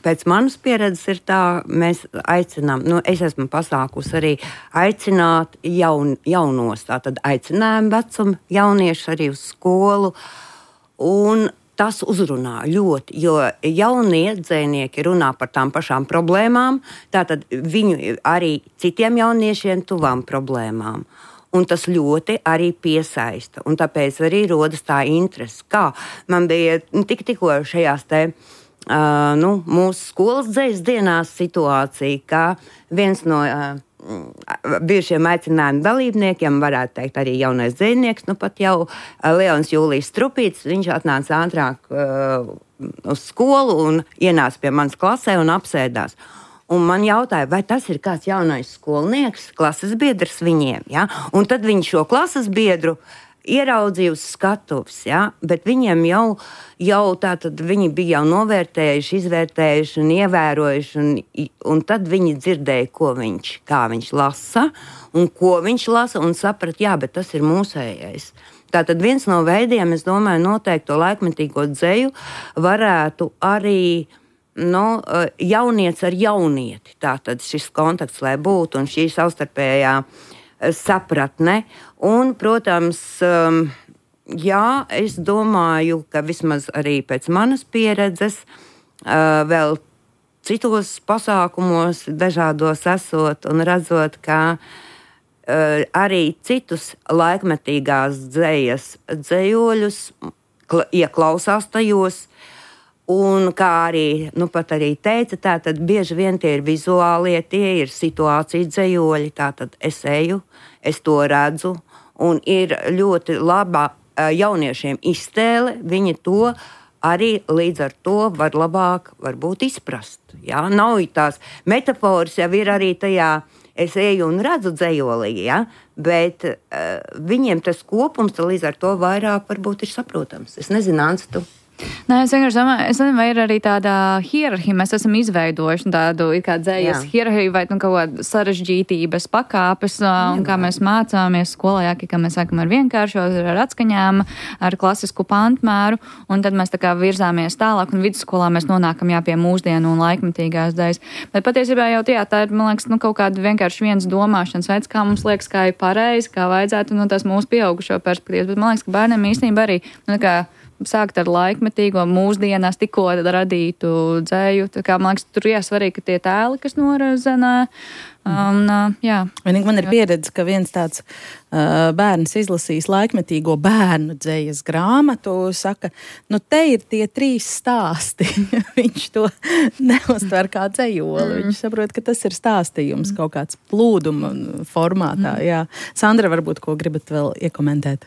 Speaker 4: pēc manas pieredzes ir tā, mēs aicinām, es esmu pasākus arī aicināt jaunos, tātad aicinājumu vecumu jauniešu arī uz skolu, un tas uzrunā ļoti, jo jaunie dzējnieki runā par tām pašām problēmām, tātad viņu arī citiem jauniešiem tuvām problēmām. Un tas ļoti arī piesaista, un tāpēc arī rodas tā interese. Kā man bija tikko šajās mūsu skolas dzejas dienās situācija, ka viens no bijušiem aicinājumu dalībniekiem, varētu teikt arī jaunais dzejnieks, pat jau Leons Jūlijs Strupīts, viņš atnāca ātrāk uz skolu un ienāca pie manas klasē un apsēdās. Un man jautāja, vai tas ir kāds jaunais skolnieks, klases biedrs viņiem, ja? Un tad viņš šo klases biedru ieraudzīja uz skatuves, ja? Bet viņiem jau tātad viņi bija jau novērtējuši, izvērtējuši un ievērojuši, un tad viņi dzirdēja, kā viņš lasa, un ko viņš lasa, un saprat, jā, bet tas ir mūsējais. Tātad viens no veidiem, es domāju, noteikti to laikmetīgo dzeju varētu arī jaunieci ar jaunieti. Tātad šis kontakts, lai būtu, un šī savstarpējā sapratne. Un, protams, es domāju, ka vismaz arī pēc manas pieredzes vēl citos pasākumos dažādos esot un redzot, ka arī citus laikmetīgās dzejas dzejoļus ieklausās tajos. Un kā arī, pat arī teica, tātad bieži vien tie ir vizuālie, tie ir situācija dzejoļi, tātad es eju, es to redzu, un ir ļoti laba jauniešiem iztēle, viņi to arī līdz ar to var labāk varbūt izprast. Ja? Nav tās metaforas, jau ir arī tajā, es eju un redzu dzejolī, ja? Bet viņiem tas kopums līdz ar to vairāk varbūt ir saprotams. Es nezinu, Ants, tu?
Speaker 7: Nē, es vienkārši domāju, es nezinu, vai ir arī tāda hierarhija, mēs esam izveidojuši tādu kā dzējas hierarhiju vai kaut kādu sarežģītības pakāpes, un kā mēs mācāmies skolā, ka mēs sākam ar vienkāršo, ar atskaņām, ar klasisku pantmēru, un tad mēs tā kā virzāmies tālāk, un vidusskolā mēs nonākam pie mūsdienu un laikmetīgās dzejas. Bet patiesībā jau tā ir, man liekas, kaut kāda vienkārši viens domāšanas veids, kā mums liekas, kā ir pareizi, kā vajadzētu no tās mūsu pieaugušo perspektīvas, bet man liekas, ka bērniem īstenībā arī, sākt ar laikmetīgo mūsdienās tikko radītu dzēju. Tā kā, man liekas, tur svarīgi, ka tie tēli, kas norazenē.
Speaker 3: Vienīgi man ir pieredze, ka viens tāds bērns izlasījis laikmetīgo bērnu dzējas grāmatu, saka, te ir tie 3 stāsti. Viņš to neuztver kā dzējoli. Viņš saprot, ka tas ir stāstījums kaut kāds plūduma formātā. Jā. Sandra, varbūt, ko gribat vēl iekomentēt?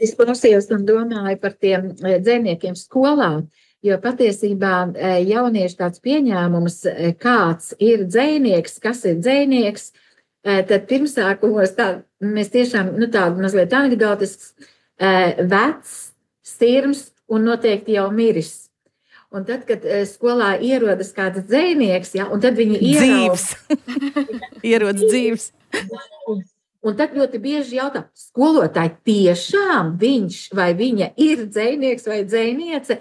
Speaker 5: Es klausījos un domāju par tiem dzejniekiem skolā, jo patiesībā jaunieši tāds pieņēmums, kāds ir dzejnieks, kas ir dzejnieks, tad pirmsākumos mēs tiešām tādu mazliet anekdotisks, vecs, sirms un noteikti jau miris. Un tad, kad skolā ierodas kāds dzejnieks, un tad viņi
Speaker 3: ierodas dzīves.
Speaker 5: Un tad ļoti bieži jautā, skolotāji, tiešām viņš vai viņa ir dzejnieks vai dzejniece?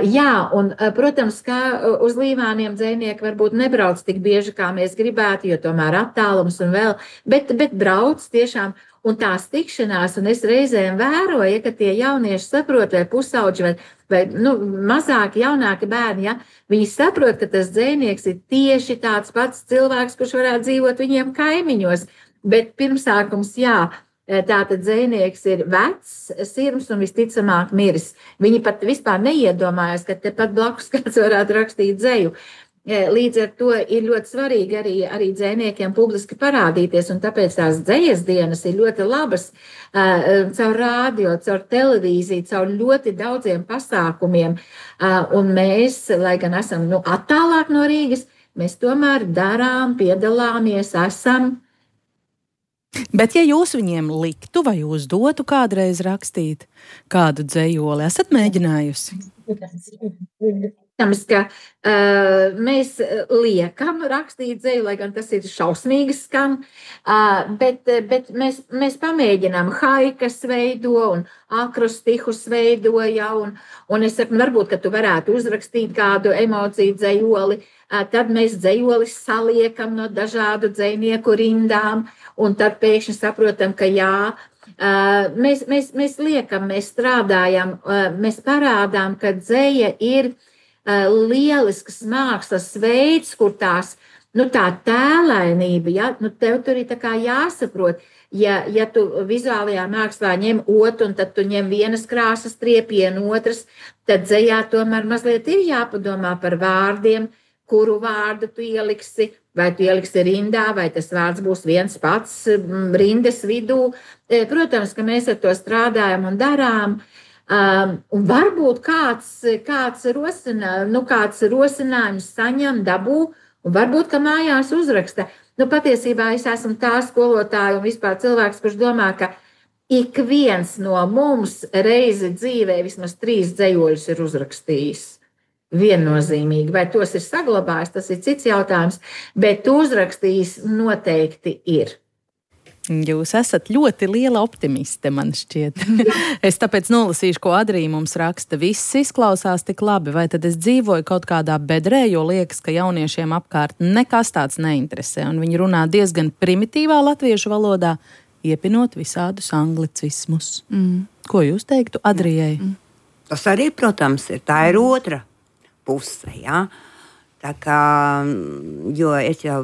Speaker 5: Jā, un, protams, ka uz Līvāniem dzejnieki varbūt nebrauc tik bieži, kā mēs gribētu, jo tomēr attālums un vēl, bet brauc tiešām. Un tās tikšanās, un es reizēm vēroju, ka tie jaunieši saprot, vai pusauģi, vai mazāki, jaunāki bērni, ja, viņi saprot, ka tas dzejnieks ir tieši tāds pats cilvēks, kurš varētu dzīvot viņiem kaimiņos. Bet pirmsākums, jā, tātad dzejnieks ir vecs, sirms un visticamāk miris. Viņi pat vispār neiedomājas, ka tepat blakus kāds varētu rakstīt dzeju. Līdz ar to ir ļoti svarīgi arī dzejniekiem publiski parādīties, un tāpēc tās dzejas dienas ir ļoti labas caur rādio, caur televīziju, caur ļoti daudziem pasākumiem. Un mēs, lai gan esam attālāk no Rīgas, mēs tomēr darām, piedalāmies, esam.
Speaker 3: Bet ja jūs viņiem liktu vai uzdotu kādreiz rakstīt kādu dzejoli, esat mēģinājusi?
Speaker 5: Protams, ka mēs liekam rakstīt dzeju, lai gan tas ir šausmīgi skan, bet mēs pamēģinām haikas veido un akrostihus veido, ja, un es saku, varbūt, ka tu varētu uzrakstīt kādu emociju dzejoli, tad mēs dzejolis saliekam no dažādu dzejnieku rindām, un tad pēkšņi saprotam, ka jā, mēs liekam, mēs strādājam, mēs parādām, ka dzeja ir lielisks mākslas veids, kur tās, tā tēlainība, ja, tev tur ir tā kā jāsaprot, ja tu vizuālajā mākslā ņem otru, un tad tu ņem vienas krāsas triepienu otras, tad dzejā tomēr mazliet ir jāpadomā par vārdiem, kuru vārdu tu ieliksi, vai tu ieliksi rindā, vai tas vārds būs viens pats rindas vidū. Protams, ka mēs ar to strādājam un darām. Un varbūt kāds rosinājums saņem, dabū, un varbūt, ka mājās uzraksta. Patiesībā es esmu tā skolotāja un vispār cilvēks, kurš domā, ka ik viens no mums reizi dzīvē vismaz 3 dzejoļus ir uzrakstījis. Viennozīmīgi, vai tos ir saglabājis, tas ir cits jautājums, bet uzrakstījis noteikti ir.
Speaker 3: Jūs esat ļoti liela optimiste, man šķiet. Es tāpēc nolasīšu, ko Adrija mums raksta. Viss izklausās tik labi, vai tad es dzīvoju kaut kādā bedrē, jo liekas, ka jauniešiem apkārt nekas tāds neinteresē, un viņi runā diezgan primitīvā latviešu valodā, iepinot visādus anglicismus. Ko jūs teiktu Adrijai?
Speaker 4: Tas arī, protams, ir. Tā ir otra puse, jā. Tā kā, jo es jau,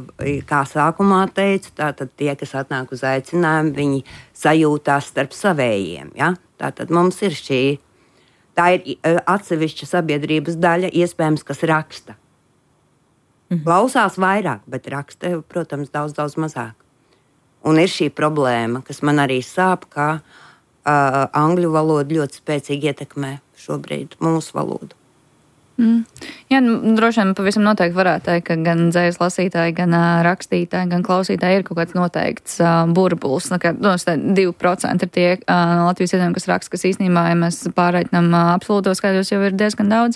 Speaker 4: kā sākumā teicu, tātad tie, kas atnāk uz aicinājumu, viņi sajūtās starp savējiem, ja? Tātad mums ir tā ir atsevišķa sabiedrības daļa, iespējams, kas raksta. Klausās vairāk, bet raksta, protams, daudz mazāk. Un ir šī problēma, kas man arī sāp, ka angļu valoda ļoti spēcīgi ietekmē šobrīd mūsu valodu.
Speaker 7: Jā, droši vien pavisam noteikti varētu teikt, ka gan dzejas lasītāji, gan rakstītāji, gan klausītāji ir kaut kāds noteikts burbulis. 2% ir tie Latvijas iedzīvotāji, kas raksta, kas īstenībā, ja mēs pārreikinām absolūtos skaidros, jau ir diezgan daudz.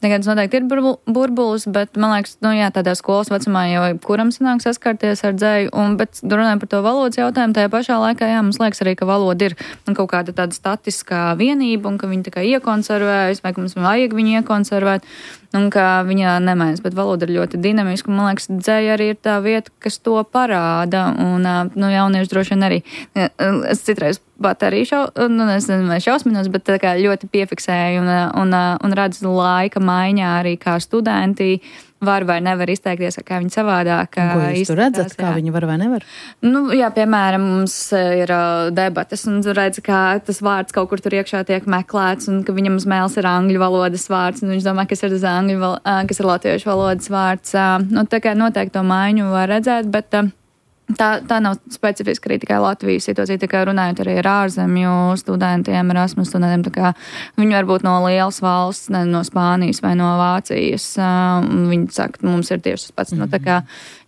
Speaker 7: Tagad noteikti ir burbulis, bet man liekas, tādā skolas vecumā jau kuram sanāk saskarties ar dzeju, bet runājot par to valodas jautājumu, tajā pašā laikā, jā, mums liekas arī, ka valoda ir kaut kāda tāda statiskā vienība un ka viņa tā kā iekonservējas, vai ka mums vajag viņu iekonservēt, un ka viņa nemēs, bet valoda ir ļoti dinamiska, un man liekas, dzeja arī ir tā vieta, kas to parāda, un jaunieši droši vien arī, es citreiz pat arī šausminos, bet tā kā ļoti piefiksēju un redzu laika maiņā arī kā studenti var vai nevar izteikties, kā viņi savādāk.
Speaker 3: Ko jūs tur redzat, kā viņi var vai nevar?
Speaker 7: Jā, piemēram, mums ir debates un redz, kā tas vārds kaut kur tur iekšā tiek meklēts un ka viņam uz mēles ir angļu valodas vārds un viņš domā, kas ir kas ir latviešu valodas vārds. Tā kā noteikti to maiņu var redzēt, bet tā nav specifiski arī tikai Latvijas situācija, tikai runājot arī ar ārzemju studentiem, Erasmus studentiem, tā kā viņi var būt no lielas valsts, no Spānijas vai no Vācijas, un viņi saka, mums ir tieši tas pats, tā kā,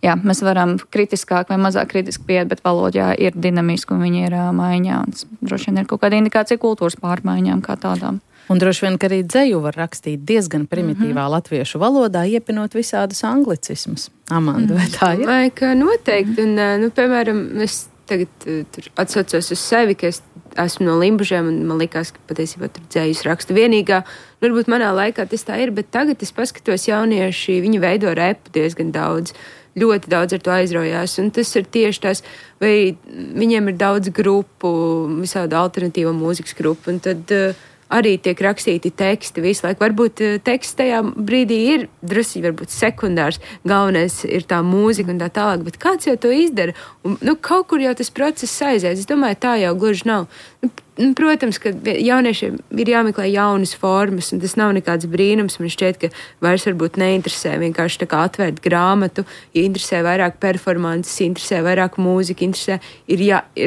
Speaker 7: jā, mēs varam kritiskāk vai mazāk kritiski pieiet, bet valodā ir dinamiski un viņi ir maiņā, un droši vien ir kaut kāda indikācija kultūras pārmaiņām kā tādām.
Speaker 3: Un droši vien, ka arī dzeju var rakstīt diezgan primitīvā latviešu valodā, iepinot visādus anglicismus. Amanda, vai tā ir?
Speaker 6: Vai ka noteikti. Un, piemēram, es tagad tur atsaucos uz sevi, ka es esmu no Limbužiem, un man likās, ka patiesībā tur dzējus rakstu vienīgā. Varbūt manā laikā tas tā ir, bet tagad es paskatos jaunieši, viņi veido repu diezgan daudz. Ļoti daudz ar to aizraujās, un tas ir tieši tās, vai viņiem ir daudz grupu, visādi alternatīva mūzikas grupu, un tad arī tiek rakstīti teksti visu laiku. Varbūt teksts tajā brīdī ir drusku, varbūt sekundārs, galvenais ir tā mūzika un tā tālāk, bet kāds jau to izdara? Un, kaut kur jau tas process aizies. Es domāju, tā jau gluži nav. Protams, ka jauniešiem ir jāmeklē jaunas formas, un tas nav nekāds brīnums. Man šķiet, ka vairs varbūt neinteresē vienkārši tā kā atvērt grāmatu, interesē vairāk performances, interesē vairāk mūzika,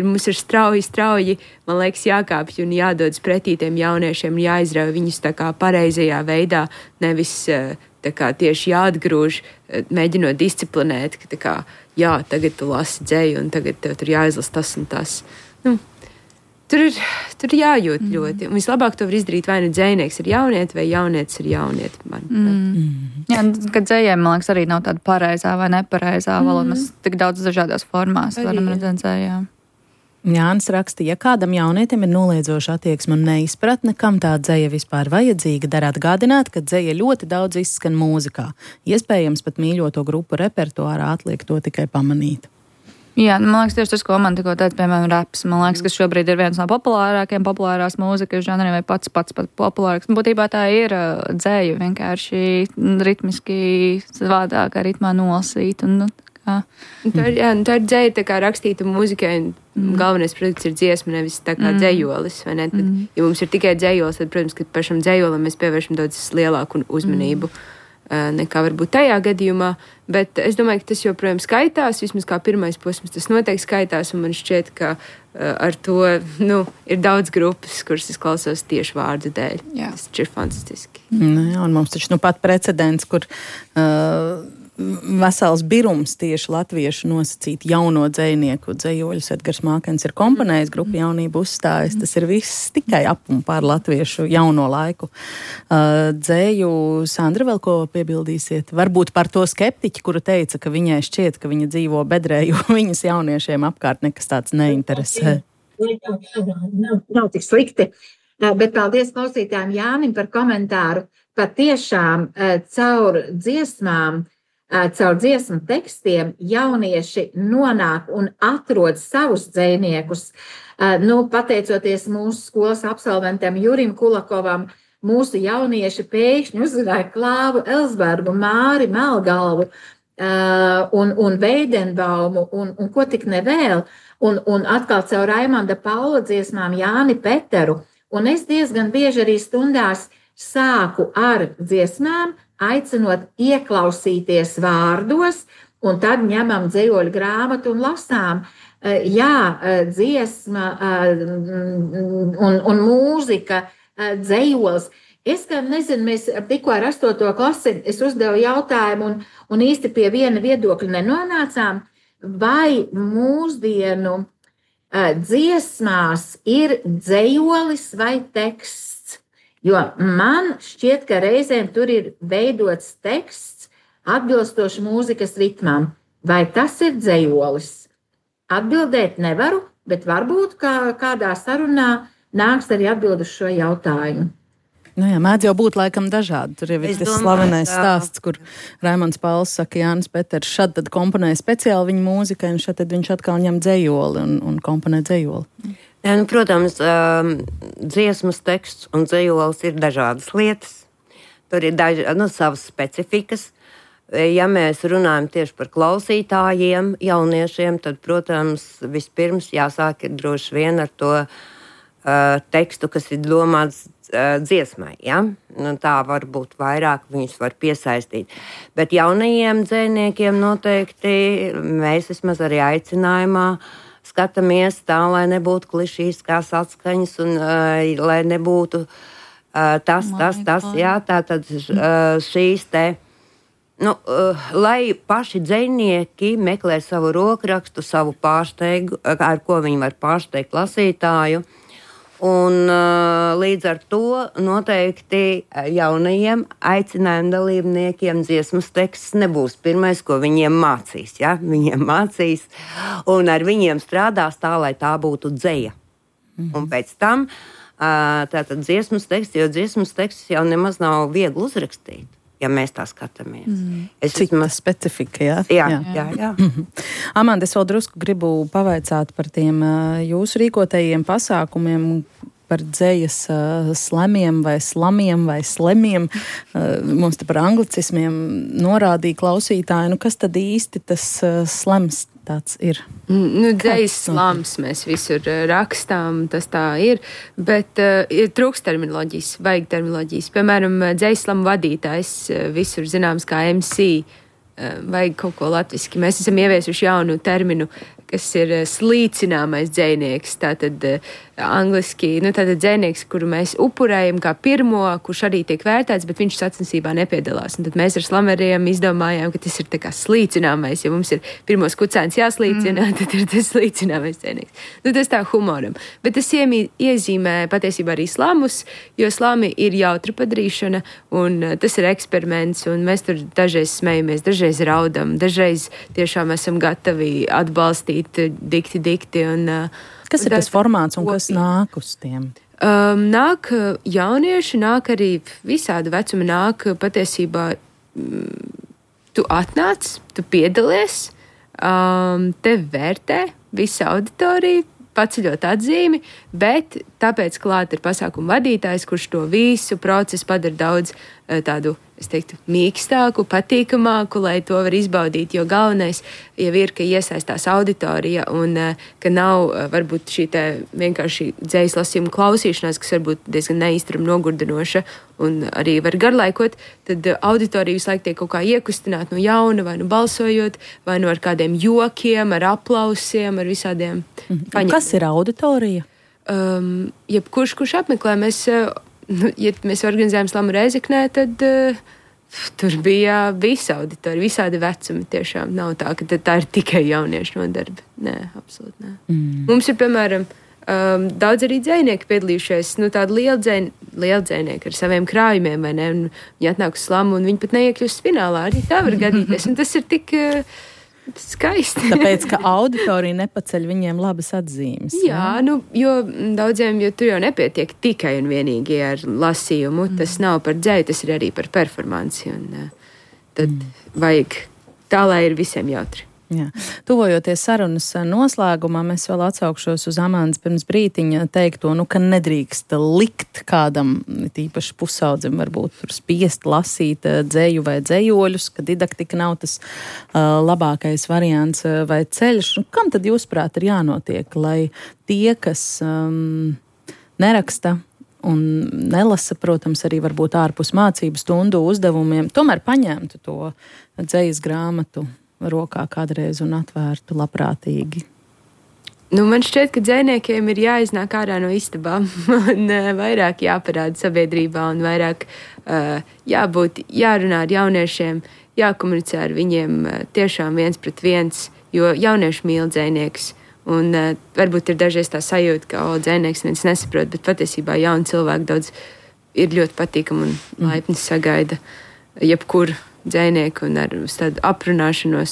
Speaker 6: mums ir strauji, man liekas, jākāpj un jādodas pretī tiem jauniešiem, jāizrauj viņus tā kā pareizajā veidā, nevis tā kā tieši jāatgrūž, mēģinot disciplinēt, ka tā kā, jā, tagad tu lasi dzeju, un tagad tev tur jāizlas tas un tas. Tur jājūt ļoti. Un vislabāk to var izdarīt vai nu dzejnieks ir jaunieti, vai jaunietis ir jaunieti.
Speaker 7: Jā, kad dzējiem, man liekas, arī nav tāda pareizā vai nepareizā valoda. Mēs tik daudz dažādās formās varam redzēt dzējā.
Speaker 3: Jānis raksta, ja kādam jaunietim ir noliedzoša attieksme un neizpratne, kam tā dzeja vispār vajadzīga, der atgādināt, ka dzeja ļoti daudz izskan mūzikā. Iespējams, pat mīļoto grupu repertuārā atliek to tikai pamanīt.
Speaker 7: Jā, man liekas, tieši tas, ko man tikko teica, piemēram, raps. Man liekas, ka šobrīd ir viens no populārās mūzikas žanriem vai pats populārāks. Būtībā tā ir dzēja, vienkārši ritmiski savādākā ritmā nolasīt.
Speaker 6: Tā ir dzēja tā kā rakstīta mūzikai, un galvenais produkts ir dziesma, nevis tā kā dzējolis. Vai ne? Tad, ja mums ir tikai dzējolis, tad, protams, ka pašam dzējolim mēs pievēršam daudz lielāku uzmanību. Nekā varbūt tajā gadījumā, bet es domāju, ka tas joprojām skaitās, vismaz kā pirmais posms, tas noteikti skaitās, un man šķiet, ka ar to, ir daudz grupas, kuras es klausos tieši vārdu dēļ. Jā. Tas ir fantastiski.
Speaker 3: Jā, un mums taču pat precedents, kur vesels birums tieši latviešu nosacīt jauno dzejnieku dzejoļus. Edgars Mākens ir komponējis, grupa Jaunība uzstājas. Tas ir viss tikai ap un pār latviešu jauno laiku. Dzēju, Sandra, vēl ko piebildīsiet? Varbūt par to skeptiķi, kuru teica, ka viņai šķiet, ka viņa dzīvo bedrē, jo viņas jauniešiem apkārt nekas tāds neinteresē.
Speaker 5: Nav tik slikti. Bet paldies klausītājiem Jānim par komentāru. Patiešām caur dziesmām, caur dziesmu tekstiem jaunieši nonāk un atrod savus dzejniekus. Pateicoties mūsu skolas absolventam Jurim Kulakovam, mūsu jaunieši pēkšņi uzzināja Klāvu Elsbergu, Māri Melgalvu un Veidenbaumu un ko tik nevēl. Un atkal caur Raimanda Paula dziesmām Jāni Peteru. Un es diezgan bieži arī stundās sāku ar dziesmām, aicinot ieklausīties vārdos, un tad ņemam dzejoļu grāmatu un lasām. Dziesma un mūzika, dzejols. Es gan nezinu, mēs tikko ar 8. klasi, es uzdevu jautājumu un īsti pie viena viedokļa nenonācām, vai mūsdienu dziesmās ir dzejolis vai teksts. Jo man šķiet, ka reizēm tur ir veidots teksts atbilstoši mūzikas ritmam. Vai tas ir dzejolis? Atbildēt nevaru, bet varbūt kādā sarunā nāks arī atbild uz šo jautājumu.
Speaker 3: Mēdz jau būt laikam dažādi. Tur jau ir tas slavenais stāsts, kur Raimonds Pauls saka, Jānis Peters šad tad komponē speciāli viņa mūzikai, un šad tad viņš atkal ņem dzejoli un komponē dzejoli.
Speaker 4: Jā, protams, dziesmas teksts un dzejolis ir dažādas lietas. Tur ir savas specifikas. Ja mēs runājam tieši par klausītājiem, jauniešiem, tad, protams, vispirms jāsāk ir droši vien ar to tekstu, kas ir domāts dziesmai. Ja? Tā varbūt vairāk viņus var piesaistīt. Bet jaunajiem dzejniekiem noteikti mēs vismaz arī aicinājumā skatāmies tā, lai nebūtu klišīskās atskaņas un lai nebūtu tas, jā, tātad šīs te, lai paši dzejnieki meklē savu rokrakstu, savu pārsteigu, ar ko viņi var pārsteigt lasītāju, Un, līdz ar to noteikti jaunajiem aicinājuma dalībniekiem dziesmas teksts nebūs pirmais, ko viņiem mācīs. Ja? Viņiem mācīs, un ar viņiem strādās tā, lai tā būtu dzeja. Un pēc tam tātad dziesmas teksts, jo dziesmas teksts jau nemaz nav viegli uzrakstīt. Ja mēs tā skatāmies.
Speaker 3: Cik specifika,
Speaker 4: jā? Jā.
Speaker 3: Amanda, es vēl drusku gribu pavaicāt par tiem jūsu rīkotajiem pasākumiem, par dzejas slemiem vai slamiem vai slemiem. Mums te par anglicismiem norādīja klausītāji. Kas tad īsti tas slems tāds ir?
Speaker 6: Dzejas slams mēs visur rakstām, tas tā ir, bet trūkst terminoloģijas, vajag terminoloģijas. Piemēram, dzejas slamu vadītājs visur zināms kā MC, vajag kaut ko latviski. Mēs esam ieviesuši jaunu terminu, kas ir slīcināmais dzejnieks. Tātad angliski, tātad dzejnieks, kuru mēs upurējam kā pirmo, kurš arī tiek vērtēts, bet viņš sacensībā nepiedalās. Un tad mēs ar slameriem izdomājām, ka tas ir tā kā slīcināmais, ja mums ir pirmos kucēns jāslīcina, tad ir tas slīcināmais dzejnieks. Tas tā humoram. Bet tas iezīmē patiesībā arī slamus, jo slami ir jautra padarīšana, un tas ir eksperiments, un mēs tur dažreiz smejamies, dažreiz raudam, dažreiz tiešām esam gatavi atbalstīt dikti.
Speaker 3: Kas ir tas formāts un kas nāk uz tiem?
Speaker 6: Nāk jaunieši, nāk arī visādi vecumi, nāk patiesībā tu atnāc, tu piedalies, tev vērtē visa auditorija, paceļot atzīmi, bet tāpēc klāt ir pasākumu vadītājs, kurš to visu procesu padara daudz tādu, es teiktu, mīkstāku, patīkamāku, lai to var izbaudīt, jo galvenais jau ir, ka iesaistās auditorija un ka nav varbūt šī te vienkārši dzejas lasījuma klausīšanās, kas varbūt diezgan neīstram nogurdinoša un arī var garlaikot, tad auditorija visu laiku tiek kaut kā iekustināt no jauna, vai nu balsojot, vai nu ar kādiem jokiem, ar aplausiem, ar visādiem paņemiem.
Speaker 3: Kas ir auditorija?
Speaker 6: Kurš apmeklē, ja mēs organizējam slamu Reizeknē, tad tur bija visa auditorija, visādi vecumi tiešām. Nav tā, ka tā ir tikai jauniešu nodarbe. Nē, absolūti nē. Mums ir, piemēram, daudz arī dzejnieki piedalījušies, tādi lieli dzejnieki ar saviem krājumiem, vai ne? Viņi atnāk uz slamu un viņi pat neiekļūst finālā. Arī tā var gadīties, un tas ir tik skaisti.
Speaker 3: Tāpēc, ka auditorija nepaceļ viņiem labas atzīmes.
Speaker 6: Jā, jo daudziem, jo tur jau nepietiek tikai un vienīgi ar lasījumu, tas nav par dzeju, tas ir arī par performanci, un tad vajag tā, lai ir visiem jautri.
Speaker 3: Jā. Tuvojoties sarunas noslēgumā, mēs vēl atsaukšos uz Amandas pirms brītiņa teikto, ka nedrīkst likt kādam, tīpaši pusaudzim, varbūt spiest lasīt dzeju vai dzejoļus, ka didaktika nav tas labākais variants vai ceļš. Kam tad jūsuprāt ir jānotiek, lai tie, kas neraksta un nelasa, protams, arī varbūt ārpus mācību stundu uzdevumiem, tomēr paņemtu to dzejas grāmatu rokā kādreiz un atvērtu labprātīgi?
Speaker 6: Man šķiet, ka dzejniekiem ir jāiznāk ārā no istabām un vairāk jāparāda sabiedrībā un vairāk jārunā ar jauniešiem, jākomunicē ar viņiem tiešām 1-1, jo jaunieši mīl dzejniekus. Un varbūt ir dažreiz tā sajūta, ka dzejnieks viens nesaprot, bet patiesībā jauni cilvēki daudz ir ļoti patīkami un laipni sagaida jebkuru dzejnieku un ar tādu aprunāšanos.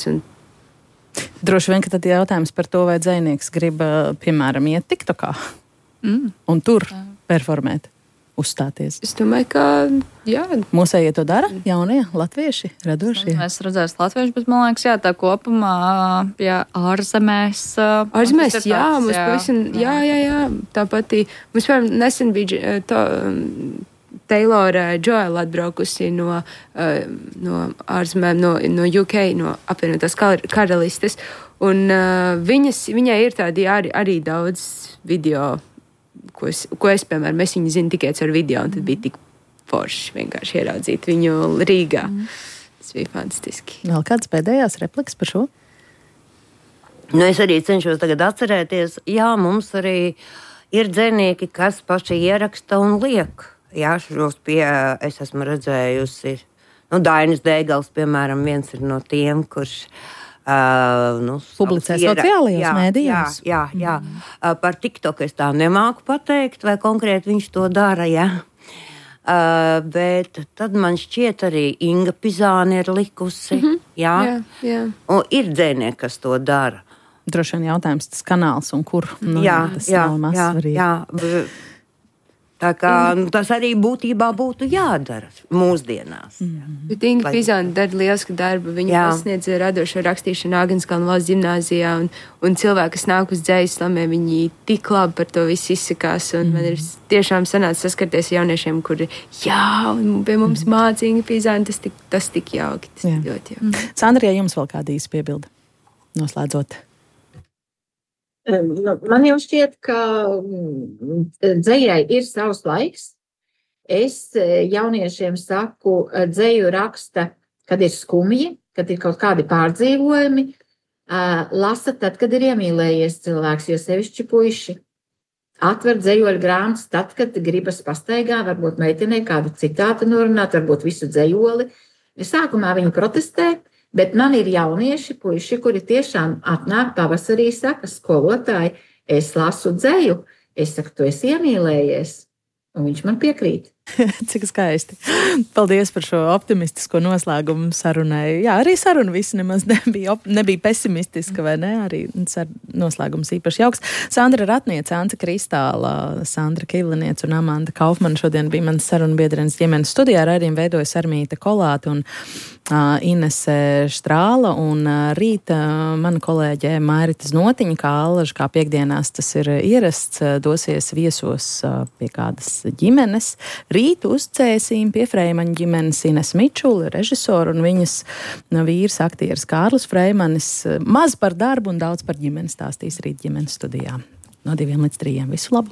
Speaker 3: Droši vien, ka tad jautājums par to, vai dzejnieks grib, piemēram, iet TikTokā un tur performēt, uzstāties.
Speaker 6: Es domāju, ka jā.
Speaker 3: Mūsējie to dara, jaunie, latvieši, radošie.
Speaker 7: Es redzēju latvieši, bet man liekas, jā, tā kopumā, ārzemēs.
Speaker 6: Ārzemēs, jā, mums pavisam, jā, tāpat, mums, piemēram, nesen bija Taylora Joela atbraukusi no ārzemēm, no UK, no apvienotās karalistes, un viņai ir tādi arī daudz video, ko es, piemēram, es viņu zinu tikai ar video, un tad bija tik forši vienkārši ieraudzīt viņu Rīgā. Tas bija fantastiski.
Speaker 3: Vēl kādas pēdējās replikas par šo?
Speaker 4: Es arī cenšos tagad atcerēties, jā, mums arī ir dzejnieki, kas paši ieraksta un liek. Jā, šos es esmu redzējusi, Dainis Dēgals, piemēram, viens ir no tiem, kurš
Speaker 3: Publicē sociālajos mēdījos.
Speaker 4: Jā. Par TikTok es tā nemāku pateikt, vai konkrēti viņš to dara, jā. Bet tad man šķiet arī Inga Pizāne ir likusi, jā. Un ir dzēnieki, kas to dara.
Speaker 3: Droši vien jautājums tas kanāls un kur. Tas nav mazsvarīgi.
Speaker 4: Tā kā tas arī būtībā būtu jādara mūsdienās.
Speaker 6: Bet Inga Pizāne dara lielisku darbu. Viņa pasniedz radošo rakstīšanu Āgenskalna valsts ģimnāzijā, un cilvēki, kas nāk uz dzejas slamiem, viņi tik labi par to visu izsakās. Un man ir tiešām sanāca saskarties jauniešiem, kuri, un pie mums māca Inga Pizāne, tas tik jauki. Tas ļoti jauki.
Speaker 3: Sandra, jums vēl kāda īsa piebilde noslēdzot?
Speaker 5: Man jau šķiet, ka dzejai ir savs laiks. Es jauniešiem saku, dzeju raksta, kad ir skumji, kad ir kaut kādi pārdzīvojumi. Lasa tad, kad ir iemīlējies cilvēks, jo sevišķi puiši. Atver dzejoļu grāmatas tad, kad gribas pastaigā, varbūt meitenei kādu citātu norunāt, varbūt visu dzejoli. Sākumā viņi protestē. Bet man ir jaunieši, puiši, kuri tiešām atnāk pavasarī, saka, skolotāji, es lasu dzeju. Es saku, tu esi iemīlējies. Un viņš man piekrīt.
Speaker 3: Cik skaisti. Paldies par šo optimistisko noslēgumu sarunai. Jā, arī saruna visi nemaz nebija pesimistiska, vai ne? Arī noslēgums īpaši jauks. Sandra Ratniece, Ance Kristāla, Sandra Kivliniece un Amanda Kaufmana šodien bija manas sarunbiedrenes ģimenes studijā. Raidījumu veidoja Sarmīta Kolāte un Inese Štrāla, un rīt mana kolēģe Mairita Znotiņa, kā piekdienās tas ir ierasts, dosies viesos pie kādas ģimenes. Rīt uz Cēsīm pie Freimaņa ģimenes Ines Mičula, režisoru, un viņas vīrs, aktieris Kārlis Freimanis. Maz par darbu un daudz par ģimeni stāstīs rīt ģimenes studijā. No 2 līdz 3. Visu labu!